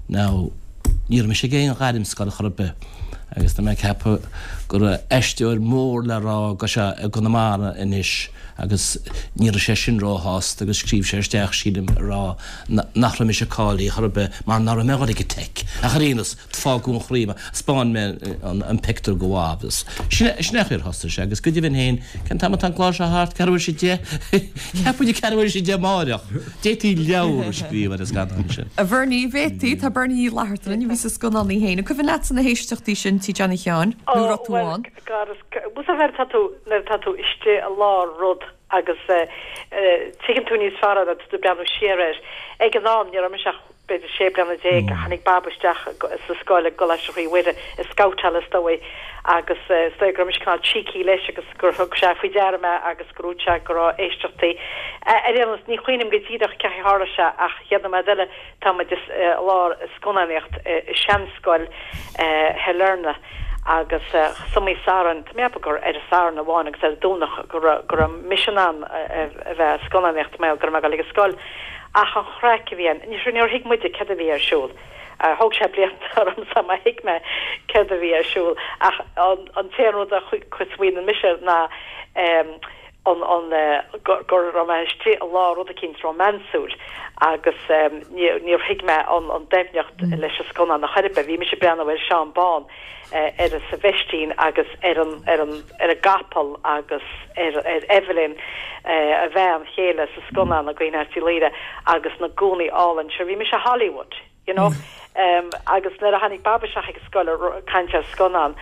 Now, ní raibh mise ag aon ghairmscoil chor ar bith agus tá mé ag ceapadh go raibh aisteoir mór le rá go sé i gConamara anois agus ní raibh sé sin róshásta agus scríobh sé isteach, sílim, ag rá nach raibh mise cáilithe chor ar bith mar nach raibh mé ag dul ag an Teic. Ach ar aon nós, Fágadh an chraobh, 'spáin mé an pictiúr go Bob. Sin é an chaoi ar thosaigh sé agus go deimhin féin, cén t-am atá an clár seo thart? Ceathrú tar éis a deich? Cheap muid ceathrú tar éis a deich amáireach. D'fhéadfaí leabhar a scríobh ar an scannán sin. A Bhernie, bhféadfaí. Tá Bernie Uí Fhlatharta linn, a bhí sa scannán í féin. An cuimhin leatsa na héisteachtaí sin tí Johnny Sheáin? Nó raibh tú ann? Bhuel, nuair atá tú, nuair atá tú istigh i lár rud agus tuigeann tú níos fearr é nuair atá tú ag breathnú siar air. Ag an am, ní raibh mise ach b'fhéidir 16 bliana, tháinig Bob isteach sa scoil i gColáiste Chroí Mhuire, ag scabhtáil is dóigh, agus is dóigh go raibh mise cineál cheeky leis agus gur thug sé faoi deara mé agus gur dhúirt sé go raibh éisteachtaí. Ar aon nós, ní chuimhním go díreach cén chaoi a tharla sé ach chéad nóiméad eile tá muid i lár scannánaíocht i seanscoil Shailearna agus is iomaí Satharn, tá mé ag ceapadh gur ar an Satharn amháin agus ar an Domhnach go raibh mise in ann a bheith ag scannánaíocht mar go raibh mé ag dul ag an scoil. Ach an chraic a bhí ann, níor thuig muide céard a bhí ar siúl. Thóg sé blianta orm sula thuig mé céard a bhí ar siúl. Ach an t-aon rud a smaoiníonn mise ná an an go raibh mé istigh i lár rud eicínt rómánsúil agus níor thuig mé an doimhneacht leis an scannán ar chor ar bith. Bhí mise ag breathnú ar Seán Bán ar sa veistín agus ar an ar an ar an gcapall agus ar ar Evelyn a bhean chéile sa scannán i gCaoineadh Airt Uí Laoghaire agus na gúnaí álainn sure bhí mise i Hollywood you know agus nuair a tháinig Bob isteach ag an scoil ag caint ar scannán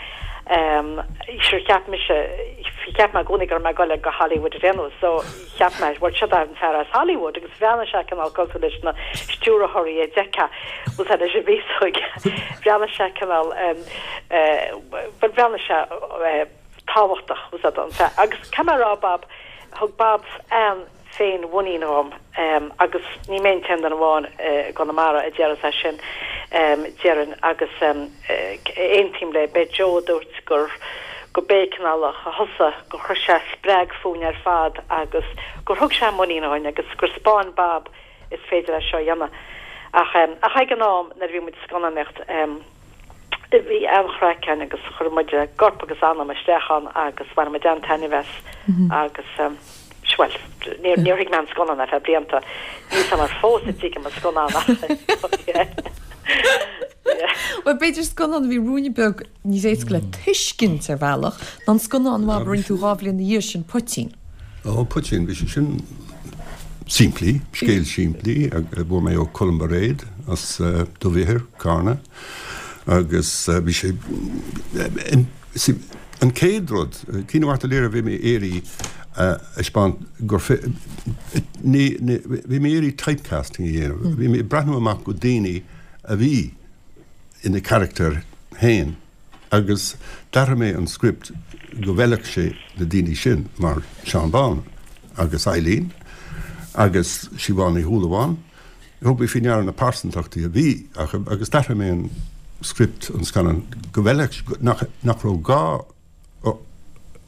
sure cheap mise cheap mé i gcónaí go raibh mé ag dul go Hollywood ar aon nós so cheap mé bhuel seo an fear as Hollywood agus bhreathnaigh sé cineál cosúil leis na stiúrthóirí a d'fheicfeá bhuel tá leis an bhféasóig bhreathnaigh sé cineál bhuel bhreathnaigh sé tábhachtach bhuel an fear agus caithfidh mé a rá Bob thug Bob an féin-mhuinín dhom agus ní mé an t-aon duine amháin i gConamara a déarfas é sin déarfainn agus aontaím le b'é Joe a dúirt gur go b'é cineál a thosaigh gur chuir sé spreag fúinn ar fad agus gur thug sé muinín dhúinn agus gur 'spáin Bob is féidir é seo a dhéanamh. Ach ach ag an am nuair a bhí muid ag scannánaíocht bhí an-chraic ann agus chuir muid corp agus anam isteach ann agus bhain muid an-taitneamh as agus bhuel níor níor thuig mé an scannán ar feadh blianta. Níl 'fhios a'm fós an dtuigim an scannán ach yeah. Bhuel b'fhéidir scannán a bhí ruainne beag níos éasca le tuiscint ar bhealach ná an scannán a rinne tú 2 bhliain ina dhiaidh sin, Poitín. Ó, Poitín, bhí sé sin simplí, scéal simplí a fuair mé ó Colm Bairéad as Dubh Ithir, Carna, agus bhí sé, an chéad rud, Caoineadh Airt Uí Laoghaire a bhí mé ag iarraidh. a thaispeáint gur ní bhí mé ag iarraidh typecasting a dhéanamh. Bhí mé ag breathnú amach go daoine a bhí ina charachtair féin agus d'athraigh mé an script go bhfeilfeadh sé na daoine sin mar Seán Bán agus Eileen agus Siobhán Ní Shúilleabháin. Thug mé faoi ndeara na pearsantachtaí a bhí acu agus d'athraigh mé an script, an scannán, go bhfeilfeadh, nach, nach raibh gá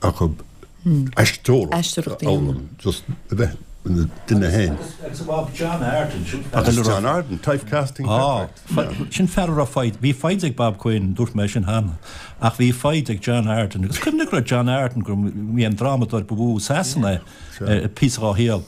acu aisteoireacht a fhoghlaim, just a bheith ina nduine féin. Agus a Bob, John Arden, sin fear. Agus John Arden, typecasting perfect. Sin fear a raibh foighid, bhí foighid ag Bob Quinn, dúirt mé sin cheana, ach bhí foighid ag John Arden. Agus cuimhnigh go raibh John Arden, go mb'é an drámadóir ba mhó i Sasana é, píosa dhá shaol.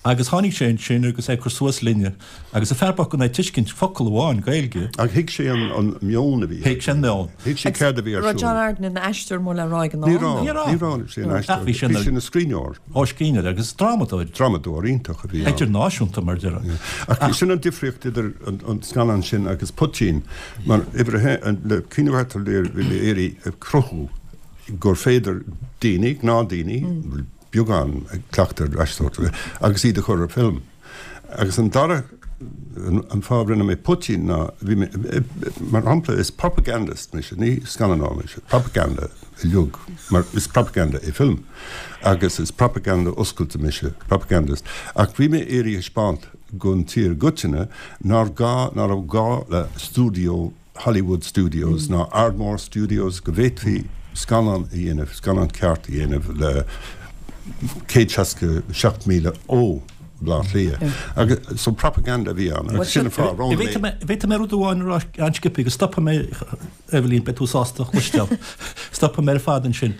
Agus tháinig sé ansin agus é ag cur suas linne agus an fear bocht gan é ag tuiscint focal amháin Gaeilge. Ach thuig sé an meon a bhí. Thuig sé an meon. Thuig sé céard a bhí ar siúl. Raibh John Arden ina aisteoir mór le rá ag an am? Ní raibh. Ní raibh sé ina aisteoir. Ach bhí sé ina scríbhneoir. Ó, scríbhneoir agus drámadóir. Drámadóir iontach a bhí ann. Idirnáisiúnta mar a déarfá. Ach sin an difríocht idir an scannán sin agus Poitín. Mar uimhir a haon, le Caoineadh Ghort an Lir bhí mé ag iarraidh cruthú gur féidir daoine, gnáthdhaoine, beagán cleachtadh ar aisteoireacht agus iad a chur ar film. Agus an dara, an fáth a rinne mé Poitín ná, bhí mé, mar shampla, is propagandist mise, ní scannánóir mise, propaganda uilig, mar is propaganda é film, agus is propaganda oscailte mise, propagandist. Ach bhí mé ag iarraidh a thaispeáint don tír i gcoitinne nár gá, ná raibh gá le stiúideo Hollywood Studios ná Ardmore Studios go bhféadfaí scannán a dhéanamh, scannán ceart a dhéanamh le 167,000 ó Bhaile Átha Cliath. Agus so propaganda a bhí ann agus sin an fáth a roghnaigh mé. Bhféadfaidh mé rud amháin a rá an-sciobtha agus stopfaidh mé, Eibhlín, beidh tú sásta a chloisteáil. Stopfaidh mé ar fad ansin.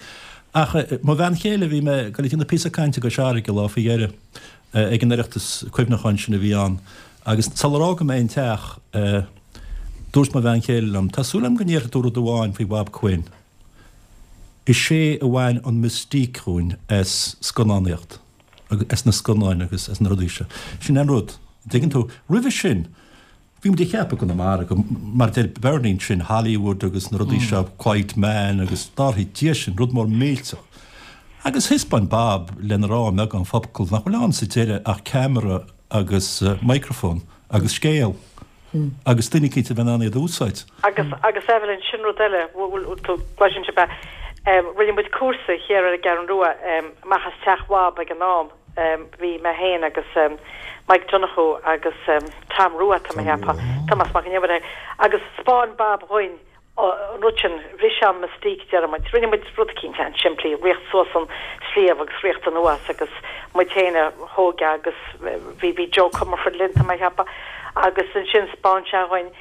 Ach mo bhean chéile, bhí mé ag dul ag déanamh píosa cainte i gCois Fharraige lá faoi dheireadh ag an Oireachtas cuimhneacháin sin a bhí ann agus sular fhága mé an teach, Dúirt mo bhean chéile liom, 'Tá súil agam go ndéarfaidh tú rud amháin faoi Bhob Quinn. Is é a bhain an mystique dhúinn as scannánaíocht, as na scannáin agus as na rudaí seo. Sin an rud. An dtuigeann tú? Roimhe sin, bhí muid ag ceapadh i gConamara go, mar a deir Bernie ansin, Hollywood agus na rudaí seo, Quiet Man agus dárthaí Dia sin, rud mór millteach. Agus thaispeáin Bob lena rá i mbeagán focal nach bhfuil ann sa deireadh ach ceamara agus microphone agus scéal. agus duine eicínt a bheith in ann iad a úsáid. Agus, agus Evelyn, sin rud eile, bhfuil tú, gcloiseann sibh é, rinne muid cúrsa thiar ar an gCeathrú Rua, amach as teach Bhob ag an am, bhí mé féin agus Mike Donoghue agus Tom Rua, tá mé a cheapadh, Tomás Mac an Iomaire, agus 'spáin Bob dhuinn an rud sin, bhris sé an mystique, deir muid. Rinne muid rud eicínt an-simplí, ritheacht suas an sliabh agus ritheacht anuas agus muid féin a thóg é agus bhí, bhí Joe Comerford linn, tá mé a cheapadh, agus ansin 'spáin sé dhuinn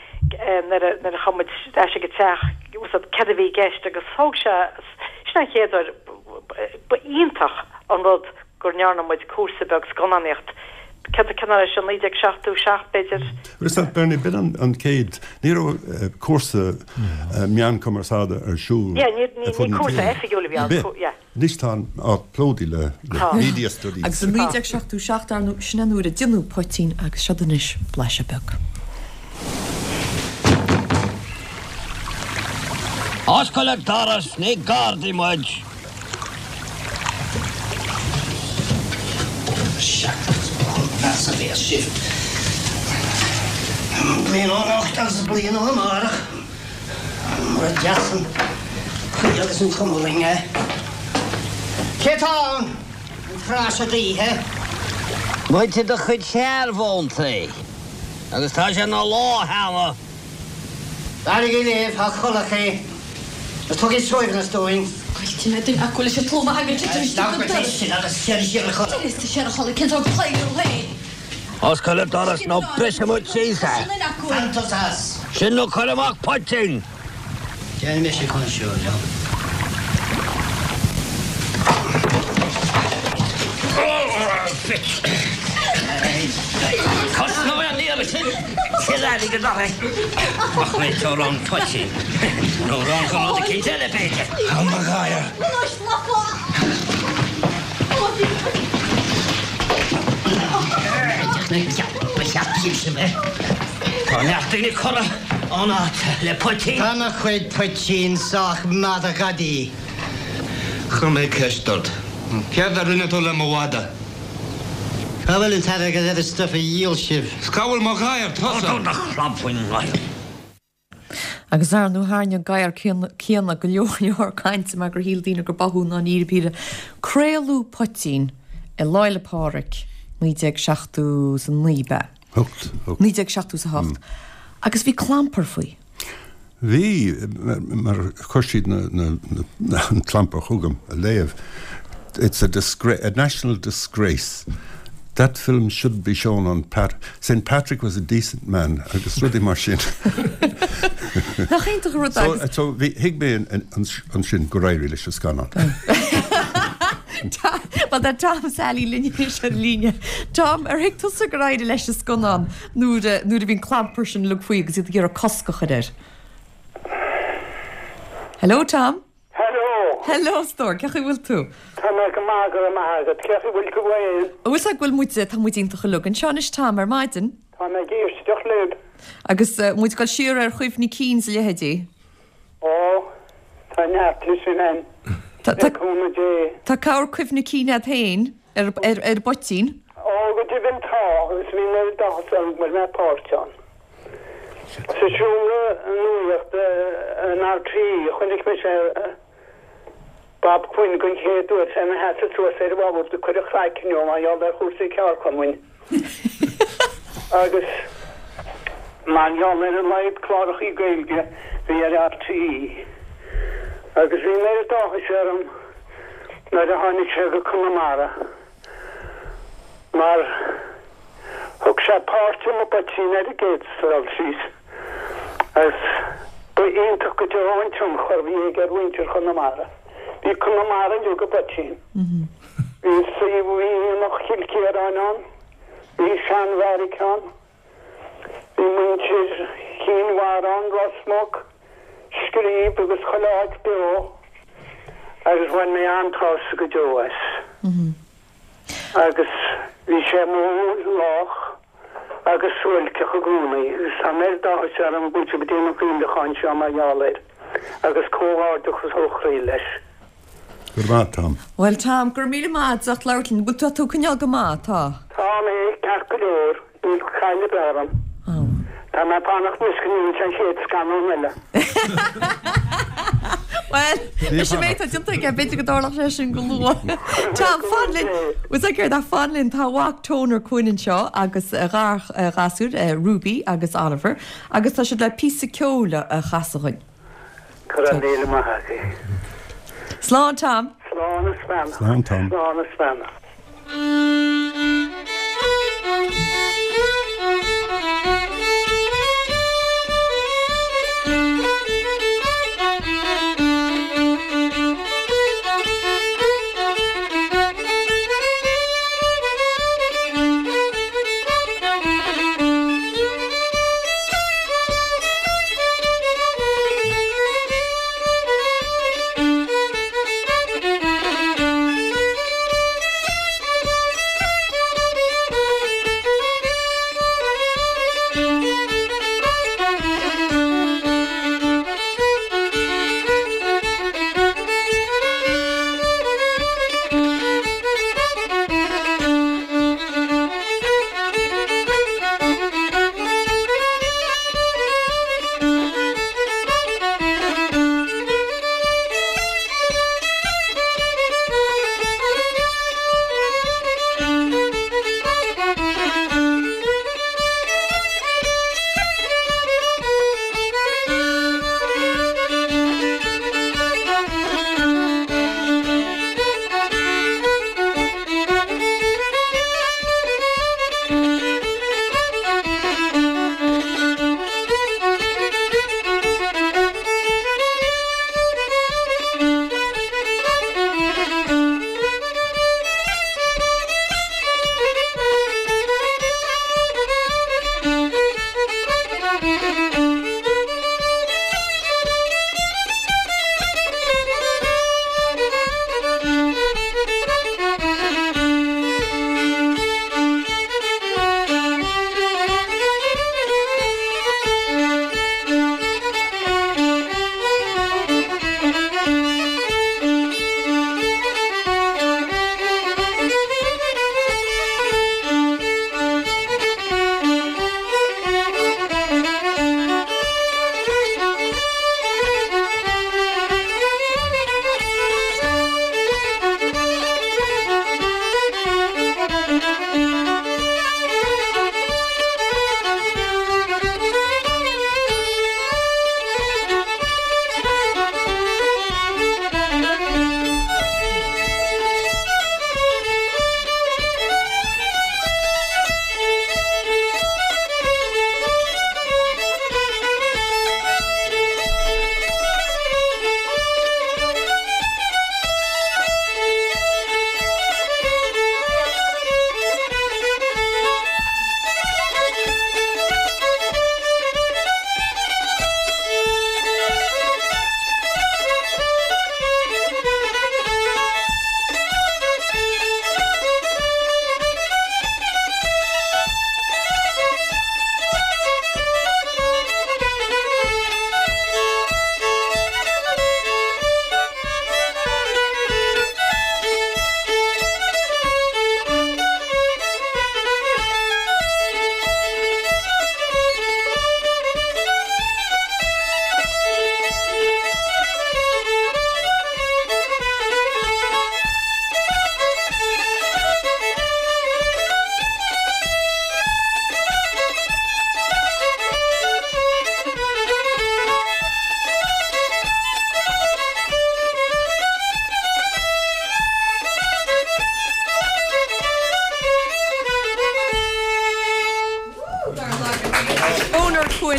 nuair a, nuair a chuaigh muid ar ais ag an teach, céard a bhí i gceist agus thóg sé, sin an chéad uair, ba iontach an rud go ndearna muid cúrsa beag scannánaíocht, céard, cén uair é sin, 1977 b'fhéidir? Is ea, Bernie, b'in an chéad, ní raibh cúrsa meán cumarsáide ar siúl Yeah, ní, ní, ní cúrsa oifigiúil a bhí ann, yeah. Anois tá an áit plódaithe le media studies. Agus i 1977, ar ndóigh, sin an uair a déanadh Poitín agus seod anois blaiseadh beag. Oscail an doras, ní gardaí muid! Meas a bhéas sibh. Bliain ó anocht agus bliain ó amárach. Mura deas an chaoi agus an chuma orainn é. Cé tá ann? An tráth seo d'oíche? Muid i do chuid searbhóntaí. Agus tá sé ina lá cheana. Éirígí libh, a chodlachaí, agus tugaigí suaimhneas dúinn. Scoiltfidh mé duine acu leis an tlúmh a thagann tite istigh an doras. Sin agus siar siar a chodladh. D'imigh siar a chodladh, cén sórt claíomh thú féin? Oscail an doras nó brisfidh muid síos é. Fan tusa as. Sin nó cuir amach poitín. Déanfaidh mise consiúr liom. Cosnóidh an iarraidh sin cill airgid orthu. Ach réiteoidh an poitín. Nó rang go rud eicínt eile, b'fhéidir. Tá mo gháire. Ba cheart cinnte bheith. Tá neart daoine curtha ón áit le poitín. Tá mo chuid poitín sách maith do ghadaí. Chuir mé ceist ort. Céard a rinne tú le mo mhadadh? Cá bhfuil an t-airgead ar an stuif a dhíol sibh? 'S cá bhfuil mo ghadhar tusa? Tabhair do chlab faoin ngadhar. Agus ar ndóigh tharraing an gadhar céanna go leor leor cainte mar gur shíl daoine gur ba thú i ndáiríre píre. Craoladh Poitín i Lá 'le Pádraig 1979 ab ea? Hocht. 1978. Agus bhí clampar faoi. Bhí, mar chuir siad an clampar chugam a léamh. It's a disgrace, a national disgrace. That film shouldn't be shown on Pat, Saint Patrick was a decent man agus rudaí mar sin. Nach iontach an rud é agus. So, bhí, thuig mé ansin gur éirigh leis an scannán. Bhuel tá Tom Sally linn anois ar líne. Tom, ar thuig tusa gur éirigh leis an scannán nuair a, nuair a bhí an clampar sin uilig faoi agus iad ag iarraidh cosc a chur air? Hello Tom. Hello. Hello a stór, cén chaoi a bhfuil tú? Tá mé go maith, go raibh maith agat. Cén chaoi a bhfuil tú féin? Bhfuil 's agat go bhfuil muid, tá muid iontach uilig anseo anois Tom ar maidin. Tá mé ag éisteacht libh. Agus muid ag dul siar ar chuimhní cinn is a leithéidí. Ó, tá neart de sin ann, le cúnamh Dé. Tá corr cuimhne cinn agat féin ar, ar, ar an bPoitín. Ó, go deimhin tá, agus bhí an oiread áthas orm go bhfuil mé páirteach ann. Sa seomra nuachta in RTÉ a chonaic mise Bob Quinn den chéad uair, is é ina sheasamh suas ar an bhord ag cur a chraicinn dó mar gheall ar chúrsaí ceardchumainn agus mar gheall ar a laghad clárachaí Gaeilge a bhí ar RTÉ. Agus bhí an oiread áthais orm nuair a tháinig sé go Conamara. Mar thug sé páirt i mPoitín ar an gcéad dul síos agus ba iontach go deo an tionchar a bhí aige ar mhuintir Chonamara. Bhí Conamara uilig i bPoitín. Bhí suíomh bhí Aonach Chill Chiaráin ann, bhí seanbheairic ann, Bhí muintir Chinn Mhara ann, Ros Muc, Scríb agus chuile áit beo agus bhain mé an-tsásamh go deo as. Agus bhí sé mór, lách agus suáilceach i gcónaí agus tá an oiread áthais orm go bhfuil sibh ag déanamh an chuimhneacháin seo mar gheall air agus comhghairdeachas ó chroí leis. Go raibh maith, Tom. Bhuel, Tom, go raibh míle maith agat as ucht labhairt linn. Bhfuil tá tú ag coinneáil go maith, tá? Tá mé ceart go leor, níl caill ar bith orm. Tá mé ag fanacht anois go ndéanfaidh sé an chéad scannán eile. Bhuel, leis an méid atá déanta aige, b'fhéidir go dtarlódh sé sin go luath. Tom, fan linn. Bhfuil 's agat céard, fan linn, tá a mhac Toner Quinn anseo agus a ghasúir, Ruby agus Oliver, agus tá siad le píosa ceoil a chasadh dhuinn. Go raibh míle maith agaibh. Slán Tom. Slán is beannacht. Slán Tom. Slán is beannacht.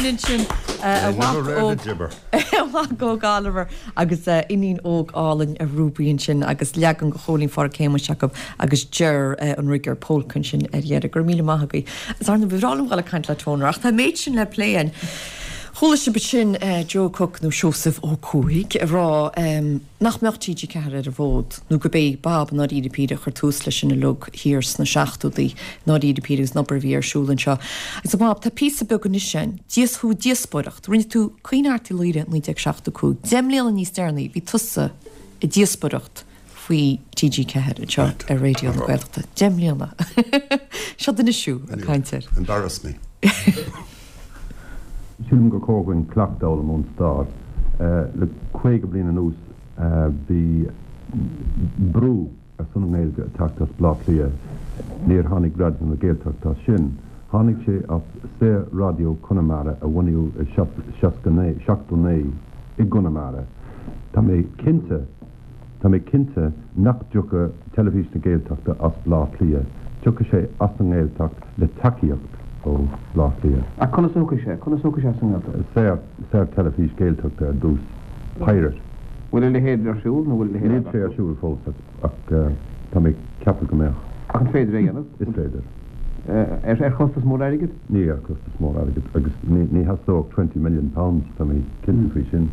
linn ansin a mhac óg a mhac óg Oliver agus iníon óg álainn Ruby ansin agus leagan de Chóilín Phádraic Shéamuis acu agus Ger an Riger Polka ansin ar dheireadh. Go raibh míle maith agaibh. Is ar ndóigh ba bhreá liom dhul ag caint le Toner ach tá an méid sin le plé againn. Chuala sibh ansin Joe Cooke nó Seosamh Ó Cuaig ag rá nach mbeadh TG4 ar an bhfód nó gurb é Bob i ndáiríre píre a chuir tús leis sin uilig thiar sna seachtóidí i ndáiríre píre agus an obair a bhí ar siúl anseo. Agus a Bhob, tá píosa beag anois ann, díos thú díospóireacht, rinne tú Caoineadh Airt Uí Laoghaire 1975, 10 mbliana níos deireanaí bhí tusa ag díospóireacht faoi TG4 anseo ar Raidió na Gaeltachta. 10 mbliana. Seo duine siú ag caint air. Embarrass me. Sílim gur chóir dhúinn ceacht a fhoghlaim ón stair. Le 50 bliain anuas bhí brú ar son na nGaeilge ag teacht as Baile Átha Cliath. Níor tháinig Raidió na Gaeltachta as sin. Tháinig sé as Saor-Raidió Conamara a bunaíodh i 79 i gConamara. Tá mé cinnte. Tá mé cinnte nach dtiocfaidh Teilifís na Gaeltachta as Baile Átha Cliath, tiocfaidh sé as an nGaeltacht le tacaíocht ó Bhaile Átha Cliath. Ach conas a thiocfaidh sé? Conas a thiocfaidh sé as an nGaeltacht? Saor, saor teilifís Gaeltachta ar dtús. Pirate. Bhfuil a leithéid ar siúl nó bhfuil a leithéid Níl sé ar siúl fós ach tá mé ag ceapadh go mbeadh. Ach an féidir é a dhéanamh? Is féidir. Ar chostas mór airgid? Ní ar chostas mór airgid agus ní theastódh £20 million, tá mé cinnte faoi sin.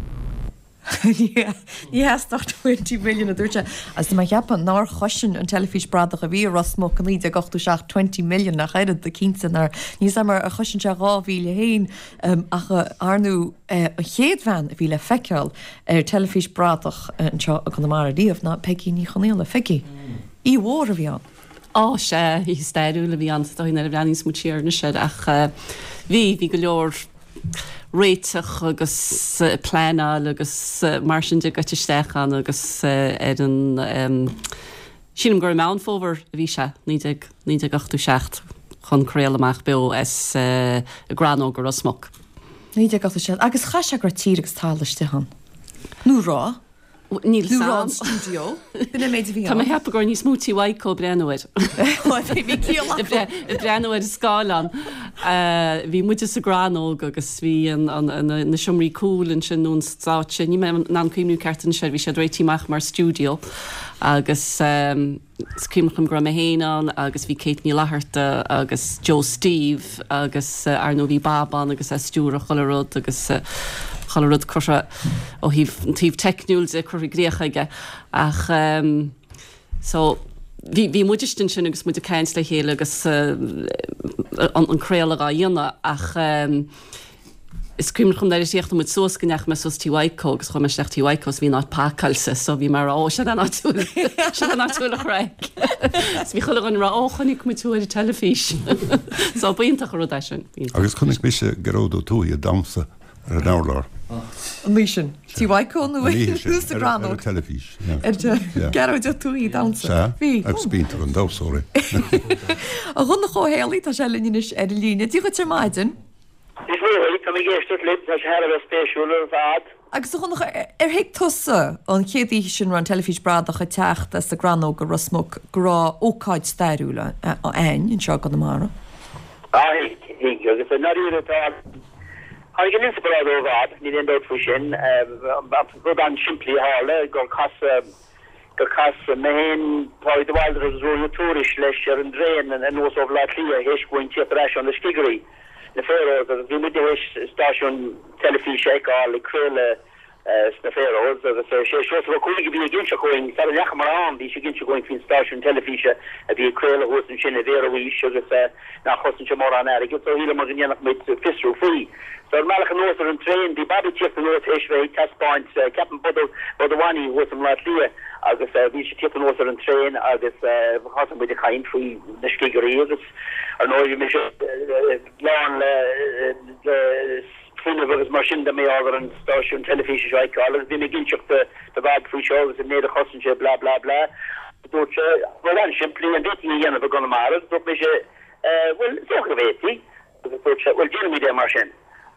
Ní theastódh 20 million a dúirt sé. Agus tá mé ag ceapadh nár chosain an teilifís bradach a bhí i Ros Muc i 1987 20 million ach oiread, cinnte nár, níl 's a'm ar chosain sé 2000 féin ach ar ndóigh an chéad bhean a bhí le feiceáil ar teilifís bradach anseo i gConamara riamh ná Peigí Ní Chonaola. Pheigí. Oíche mhór a bhí ann. Á, sea, oíche stairiúil a bhí ann, is dóigh nuair a bhreathnaíonns muid siar anois air ach bhí, bhí go leor réiteach agus pleanáil agus mar sin de goite isteach ann agus ar an, sílim gur i Meán Fómhair a bhí sé, 19, 1987 chun craoladh amach beo as an gCrannóg i Ros Muc. 1987, agus chaith sé go raibh tír agus talamh istigh ann. Nó raibh? Níl 's a'm. Stiúideo. B'in an méid a bhí ann. Tá mé ag ceapadh go raibh níos mó Tí Mhaidhcó ag breathnú air. Bhí ciall acu. Ag breathnú ar an scáileán. Bhí muide sa gCrannóg agus bhí na seomraí cúil ansin nó an stáitse, níl mé in ann cuimhniú ceart anois air, bhí siad réitithe amach mar stiúideo agus. Is cuimhin liom go raibh mé féin ann agus bhí Kate Ní Fhlatharta agus Joe Steve agus ar ndóigh bhí Bob ann agus é ag stiúradh chuile rud agus chuile rud curtha ó thaobh an taobh teicniúil de curtha i gcríoch aige ach so bhí bhí muid istigh ansin agus muid ag caint le chéile agus an craoladh á dhéanamh ach Is cuimhin liom nuair a chríochnaigh muid suas go ndeachaigh mé suas Tí Mhaidhcó agus chuaigh mé isteach Tí Mhaidhcó is bhí an áit pacáilte so bhí mé ag rá ó seo an áit a bhfuil seo an áit a bhfuil an chraic. So bhí chuile dhuine ag rá ó chonaic muid thú ar an teilifís. So b'iontach an rud é sin. Agus chonaic mise Gearóid Ó Tuathaigh ag damhsa ar an urlár. An oíche sin? Tí Mhaidhcó nó sa gCrannóg? Ar an teilifís. Gearóid Ó Tuathaigh ag damhsa. Sea, agus b'iontach an damhsóir é. A Dhonncha Ó Héalaí, tá sé linn anois ar an líne. Dia dhuit ar maidin. Dia dhuit, tá mé ag éisteacht libh, tá sé thar a bheith spéisiúil ar fad. Agus a Dhonncha, ar thuig tusa an chéad oíche sin raibh an teilifís bradach ag teacht as an gCrannóg i Ros Muc go raibh ócáid stairiúil a'ainn anseo i gConamara? Á thuig, thuig, agus i ndáiríre tá, tháinig an inspioráid ó Bhob, níl aon dabht faoi sin, rud an-simplí a tharla, gur casadh, gur chas mé féin, Pádraig de Bhaldraithe agus Ruairí Ó Tuairisg leis ar an dtraein anuas ó Bhaile Átha Cliath théis dhúinn tíocht ar ais ó na Scigirí, na Faroes, agus bhí muid théis stáisiún teilifíse a fheiceáil ag craoladh sna Faroes agus sé Seosamh Ó Cuaig a bhí ag inseacht dhúinn, sara ndeachamar ann, bhí sé ag inseacht dhúinn faoin stáisiún teilifíse a bhí ag craoladh thuas ansin i bhFaroes agus nach chosain sé mórán airgid so shíleamar go ndéanfadh muid fiosrú faoi. So ar an mbealach anuas ar an traein, bhí Bobby ag tíocht anuas théis bheith ag taispeáint, ceapaim, Bud a' Mhoney thuas i mBleá Cliath agus bhí sé ag tíocht anuas ar an traein agus thosaigh muid ag caint faoi na Scigirí agus ar ndóigh bhí mise lán le fuinneamh agus mar sin de mar gheall ar an stáisiún teilifíse seo a fheiceáil agus bhí mé ag inseacht do Bhob faoi seo agus an méid a chosain sé blah blah blah. Dúirt sé, rud an-simplí, an bhféadfaí é a dhéanamh i gConamara? Agus dúirt mise, bhuel, is dócha go bhféadfaí. Agus dúirt sé, bhuel, déanfaimid é mar sin.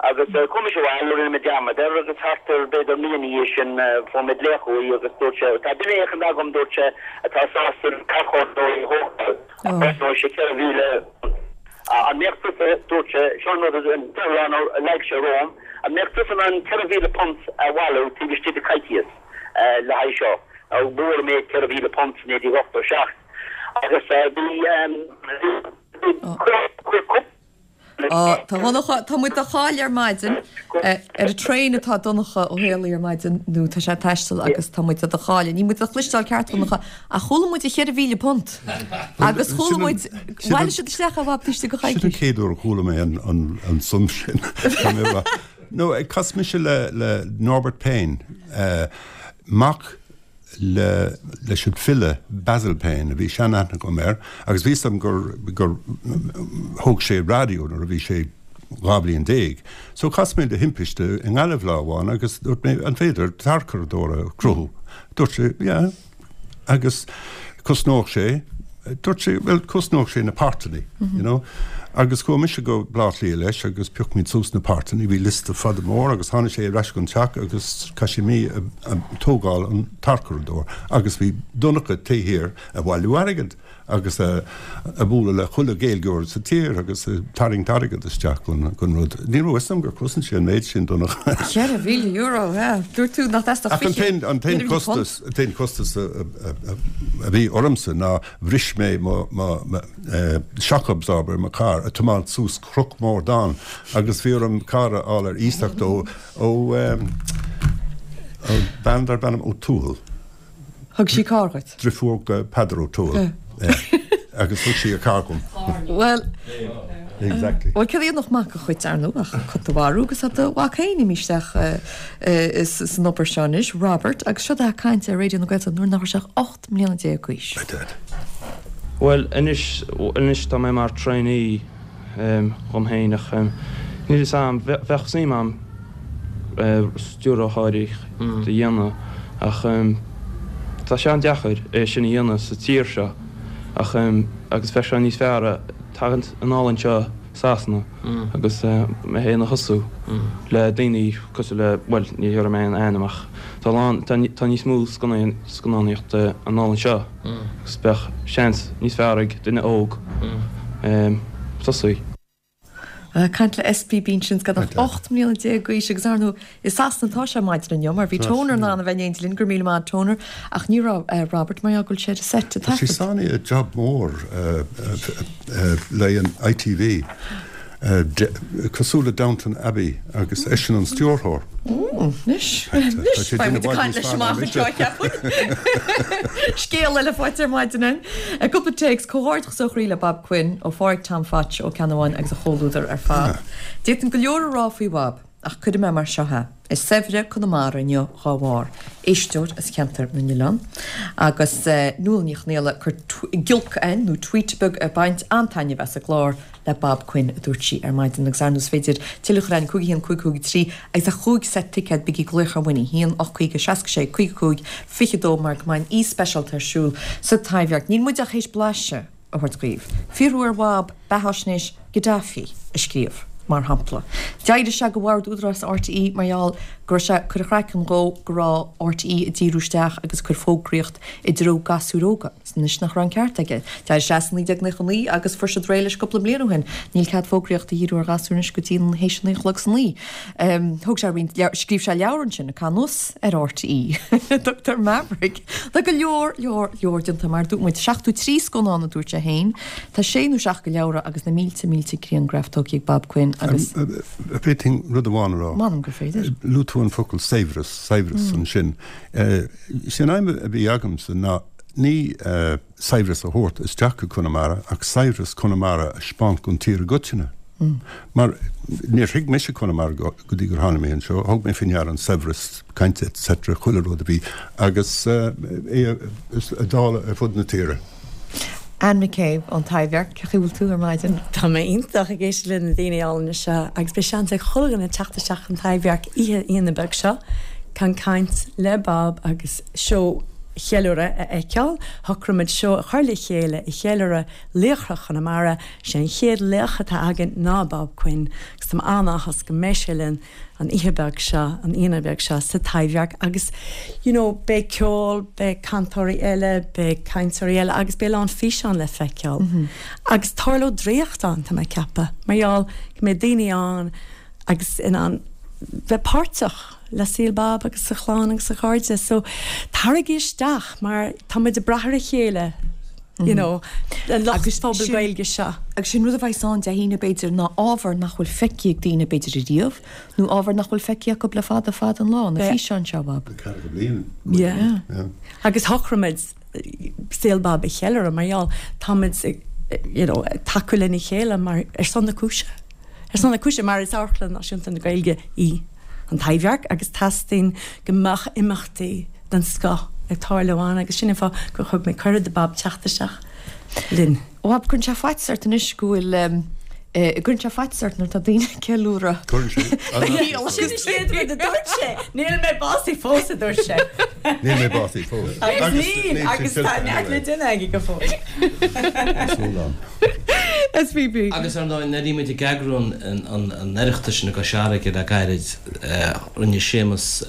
Agus chuaigh mise abhaile, rinne mé dearmad air, agus thart ar, b'fhéidir, mí ina dhiaidh sin, fuair mé glaoch uaidh agus dúirt sé, tá duine éicint agam, dúirt sé, atá sásta an carrchlós a thógáil, ach cosnóidh sé £4,000. An mbeadh tusa, dúirt sé, seo an rud, an dúshlán a leag sé romham, an mbeadh tusa in ann £4,000 a bhailiú taobh istigh de coicíos le haghaidh seo? Now b'mhór an méid £4,000 i 1987 agus bhí, bhí, chuir cúpla. Á, tá Donncha, tá muid do chailleadh ar maidin. Ar an traein atá Donncha Ó Héalaí ar maidin nó tá sé ag taisteal agus tá muid do chailleadh. Níl muid do chloisteáil ceart, Donncha, ach chuala muid an £4,000. Agus chuala muid, bhailigh siad isteach é a Bhab taobh istigh de Sin an choicís. chéad uair a chuala mé an suim sin. Tá mé ag rá. No, chas mise le Norbert Payne, mac le leis an file Basil Payne, a bhí seanaithne agam air, agus bhí 'fhios a'm gur gur thóg sé raidió nuair a bhí sé 12 bhliain. So chas mé de thimpiste i nGaillimh lá amháin agus dúirt mé an féidir tarchuradóir a chruthú? Dúirt sé yeah agus cosnódh sé, dúirt sé bhuel cosnódh sé na páirteanna, you know. Agus chuaigh mise go Baile Átha Cliath leis agus phioc muid suas na páirteanna, bhí liosta fada mór agus tháinig sé ar ais gon teach agus chaith sé mí ag tógáil an tarchuradóir agus bhí Donncha taobh thiar ag bailiú airgid agus ag bualadh le chuile Ghaeilgeoir sa tír agus ag tarraingt airgead isteach gon gon rud. Ní raibh 'fhios a'm gur chosain sé an méid sin Donncha. €4,000, yeah. Dúirt tú nach dteastódh Ach an t-aon an t-aon costas an t-aon costas a bhí ormsa ná Bhris mé mo shock absorber i mo charr ag tiomáint suas Cnoc mór donn agus bhí orm carr a fháil ar iasacht ó ó bean darb ainm Ó Tuathail. Thug sí carr dhuit? Driofúr go Peadar Ó Tuathail. Agus thug sí a carr dhom. Bhuel. Exactly. Bhuel, céard a dhéanfadh mac a chait, ar ndóigh, ach cat a mharú agus tá do mhac féin imithe isteach san obair seo anois, Robert, agus seo é ag caint ar Raidió na Gaeltachta nuair nach raibh sé ach 18 mbliana d'aois. Bhuel, anois, anois tá mé mar trainee dhom féin ach níl fhios a'm, bheadh suim a'm stiúrthóireacht a dhéanamh ach tá sé an-deacair é sin a dhéanamh sa tír seo ach agus bheadh sé níos fearr tagaint anall anseo Sasana agus mé féin a thosú le daoine cosúil le, bhuel, ní dhéarfaidh mé aon ainm ach tá a lán, tá níos mó scannánaíochta anall anseo agus bheadh seans níos fearr ag duine óg tosaí. Caint le SPB ansin, gan ach 18 mbliana d'aois agus ar ndóigh I Sasana atá sé maidin inniu mar bhí Toner in ann a bheith in éindí linn, go raibh míle maith Toner, ach ní raibh Robert mar gheall go bhfuil sé ar an seit ag Tá sé taifead. sáinnithe i job mór le an ITV, cosúil le Downton Abbey agus eisean an stiúrthóir. Anois, anois, beidh muid ag caint leis amach anseo, ceapaim. Scéal eile faighte ar maidin againn. Cúpla téacs, Comhghairdeachas ó chroí le Bob Quinn, ó Phádraig Tom Phatch Ó Ceannabháin agus a chomhluadar ar fad. D'fhéadfainn go leor a rá faoi Bhob. Ach cuirfidh mé mar seo é, is saibhre Conamara inniu dhá bharr, éisteoir as Ceantar na nOileán agus Nuala Ní Chonaola ag cur giolc againn, nó tweet beag, ag baint an-taitneamh as an gclár le Bob Quinn, a dúirt sí ar maidin. Agus ar ndóigh is féidir tuilleadh a chur againn, 5 1 5 5 3 agus ach chúig seit ticéad, bígí ag glaoch ar Winnie, 1 8 50 66 55 22 mar go mbeidh an oíche speisialta ar siúl sa Taibhdhearc. Níl muid ach théis blaiseadh. a thabhairt dhaoibh. Fiafraí ar Bhob beatháisnéis Gaddafi a scríobh, mar shampla. D'éirigh sé de bhord Údarás RTÉ mar gheall go raibh sé ag cur a chraicinn dhó go raibh RTÉ ag díriú isteach agus ag cur fógraíocht i dtreo gasúir óga. Anois nach raibh an ceart aige. D'éirigh sé as i 1999 agus fuair siad réidh leis cúpla bliain ó shin. Níl cead fógraíocht a dhíriú ar ghasúir anois go dtí an théis a naoi a chlog san oíche. Thóg sé roinnt leabhar, scríobh sé leabhar ansin, ag caitheamh anuas ar RTÉ. Tugtar Maverick. Tá go leor, leor, leor déanta mar dúirt muid, 73 scannán a dúirt sé féin. Tá sé nó seacht de leabhra agus na mílte, mílte grianghraf tógtha ag Bob Quinn agus. Féadfainn rud amháin a rá? M'anam gur féidir. Luaigh tú an focal saibhreas, saibhreas ansin. Is é an aidhm a bhí agamsa ná ní saibhreas a thabhairt isteach go Conamara ach saibhreas Chonamara a 'speáint don tír i gcoitinne. Mar níor thuig mise Conamara go dtí gur tháinig mé anseo, thug mé faoi ndeara an saibhreas cainte etc. chuile rud a bhí agus é a dáileadh ar fud na tíre. Anne McCabe ón Taibhdhearc, cén chaoi a bhfuil tú ar maidin? Tá mé iontach ag éisteacht le na daoine álainne seo agus beidh seans ag chuile dhuine teacht isteach chun Taibhdhearc oíche Aoine beag seo chun caint le Bob agus seó. cheiliúradh a fheiceáil, shocraigh muid seó a chur le chéile ag cheiliúradh laochra Chonamara. Sé an chéad laoch atá againn ná Bob Quinn agus tá mé an-áthas go mbeidh sé linn an oíche beag seo, an Aoine beag seo sa Taibhdhearc agus you know beidh ceol, beidh cantóirí eile, beidh cainteoirí eile agus beidh a lán físeán le feiceáil. Agus tarlóidh draíocht ann, tá mé ag ceapadh, mar gheall go mbeidh daoine ann agus in ann bheith páirteach le saol Bob agus a chlann agus a chairde. So taraigí isteach mar tá muid ag brath ar a chéile you know, an lucht pobal Gaeilge seo. Agus sin rud a bheas ann Dé hAoine b'fhéidir ná ábhar nach bhfuil feicthe ag daoine b'fhéidir ariamh nó ábhar nach bhfuil feicthe acu le fada fada an lá, na físeáin seo, Bob. Ceathracha bliain. Yeah. Agus shocraigh muid saol Bob a cheiliúradh mar gheall tá muid you know, ag tacú lena chéile mar ar son na cúise. Ar son na cúise mar is Amharclann Náisiúnta na Gaeilge í an Taibhdhearc agus teastaíonn go mbeadh imeachtaí den scoth ag tarlú ann agus sin an fáth gur thug mé cuireadh do Bob teacht isteach linn. Bhab, cuireann sé faitíos ort anois go bhfuil gcuireann sé faitíos ort nuair atá daoine ag ceiliúradh. Cuireann sé. Sin an chéad rud a dúirt sé, níl mé básaithe fós a dúirt sé. Níl mé básaithe fós. Agus níl, agus tá neart le déanamh aige go fóill. Súil ann. SBB. Agus ar ndóigh, nuair a bhí muid ag eagrú an Oireachtais i gCois Fharraige le gairid, rinne Séamus,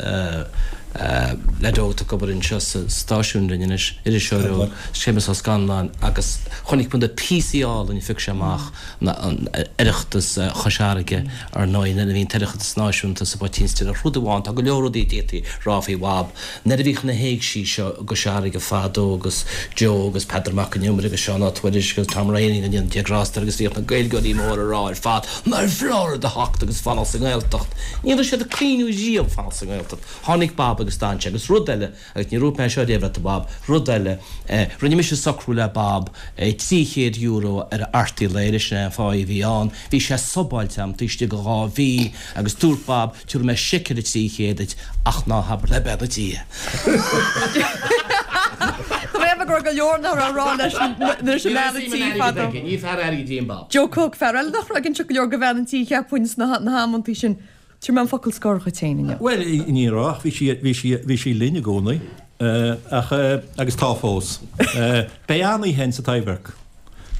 leaid óg atá ag obair anseo sa stáisiún linn anois, iriseoir óg, Séamus Ó Scanláin, agus chonaic muid na píosaí álainn a phioc sé amach, Oireachtas Chois Fharraige, ar ndóigh, nuair a bhí an tOireachtas Náisiúnta sa bPoitín Stil. Ach rud amháin, tá go leor rudaí a d'fhéadfaí a rá faoi Bhab, Nuair a bhíodh na héigsí seo i gCois Fharraige fadó agus Joe agus Peadar Mac an Iomaire agus Seán Ó Tuairisg agus Tom Ryan ag déanamh grásta agus bhíodh na Gaeilgeoirí móra a rá ar fad nár bhfearr a theacht agus fanacht sa nGaeltacht. Ní raibh siad ag cuimhniú riamh fanacht sa nGaeltacht. Tháinig Bob agus d'fhan sé. Agus rud eile, agus níor dhúirt mé seo riamh leat a Bob, rud eile, rinne mise socrú le Bob €300 ar a eartaí lae, sin é an pháigh a bhí ann. Bhí sé subáilte a'm taobh istigh de dha mhí agus dúirt Bob, Tabharfaidh mé seic ar an 300 duit ach ná habair le bean an tí é. Tá mé ag go raibh go leor nach raibh a rá leis an mbean an tí fadó. Ní fear airgid í an Bob. Joe Cooke, fear eile nach raibh ag inseacht go leor go bhean an tí cheapfainn sna hamantaí sin. Tabharfaidh mé an focal scoir dhuit féin inniu. Bhuel, ní raibh ach bhí sí, bhí sí, bhí sí linn i gcónaí. Ach, agus tá fós. Beidh an-oíche ann sa Taibhdhearc.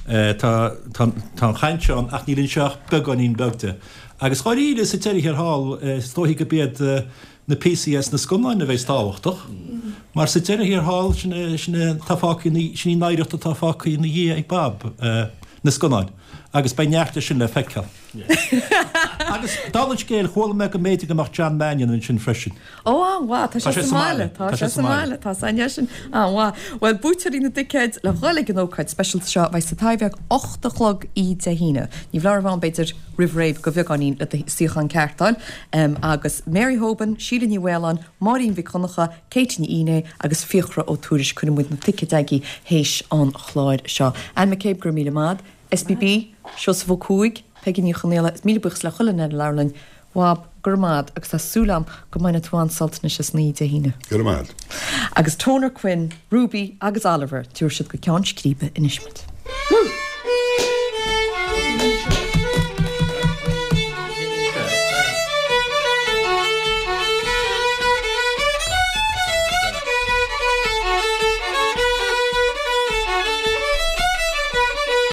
Tá, tá, tá an chaint seo ann ach níl anseo ach beagáinín beag de. Agus dháiríre, sa deireadh thiar thall, is dóichí gurb iad na píosaí as na scannáin a bheas tábhachtach, mar sa deireadh thiar thall, sin é, sin é atá fágtha ina, sin í an oidhreacht atá fágtha ina dhiaidh ag Bob, na scannáin. Agus beidh neart de sin le feiceáil. Agus, dála an scéil, chuala mé go mb'fhéidir go mbeadh John Mannion ansin freisin. Ó, an-mhaith, tá sé sa mbaile, tá sé sa mbaile, tá sé sin an-mhaith. Bhuel, buaiteoirí na dticéad le dhul ag an ócáid speisialta seo, beidh sa Taibhdhearc 8 a chlog oíche Dé hAoine. Ní foláir a bheith ann, b'fhéidir, roimh ré go bheagáinín le do suíochán ceart a fháil. Agus Mary Hoban, Síle Ní Mhaoláin, Máirín Mhic Dhonncha, Katie Ní Fhinné agus Fiachra Ó Tuairisg, cuirfidh muid na ticéid agaibh théis an chláir seo. Anne McCabe, go raibh míle maith agat. SBB, Seosamh Ó Cuaig, Peigí Ní Chonaola, is míle buíochas le chuile dhuine ar an leabharlann. Bhab, go raibh maith agat agus tá súil agam go mbainfidh tú an-sult anois as an oíche Dé hAoine. Go raibh maith agat. Agus Toner Quinn, Ruby agus Oliver, tabharfaidh siad go ceann scríbe anois muid.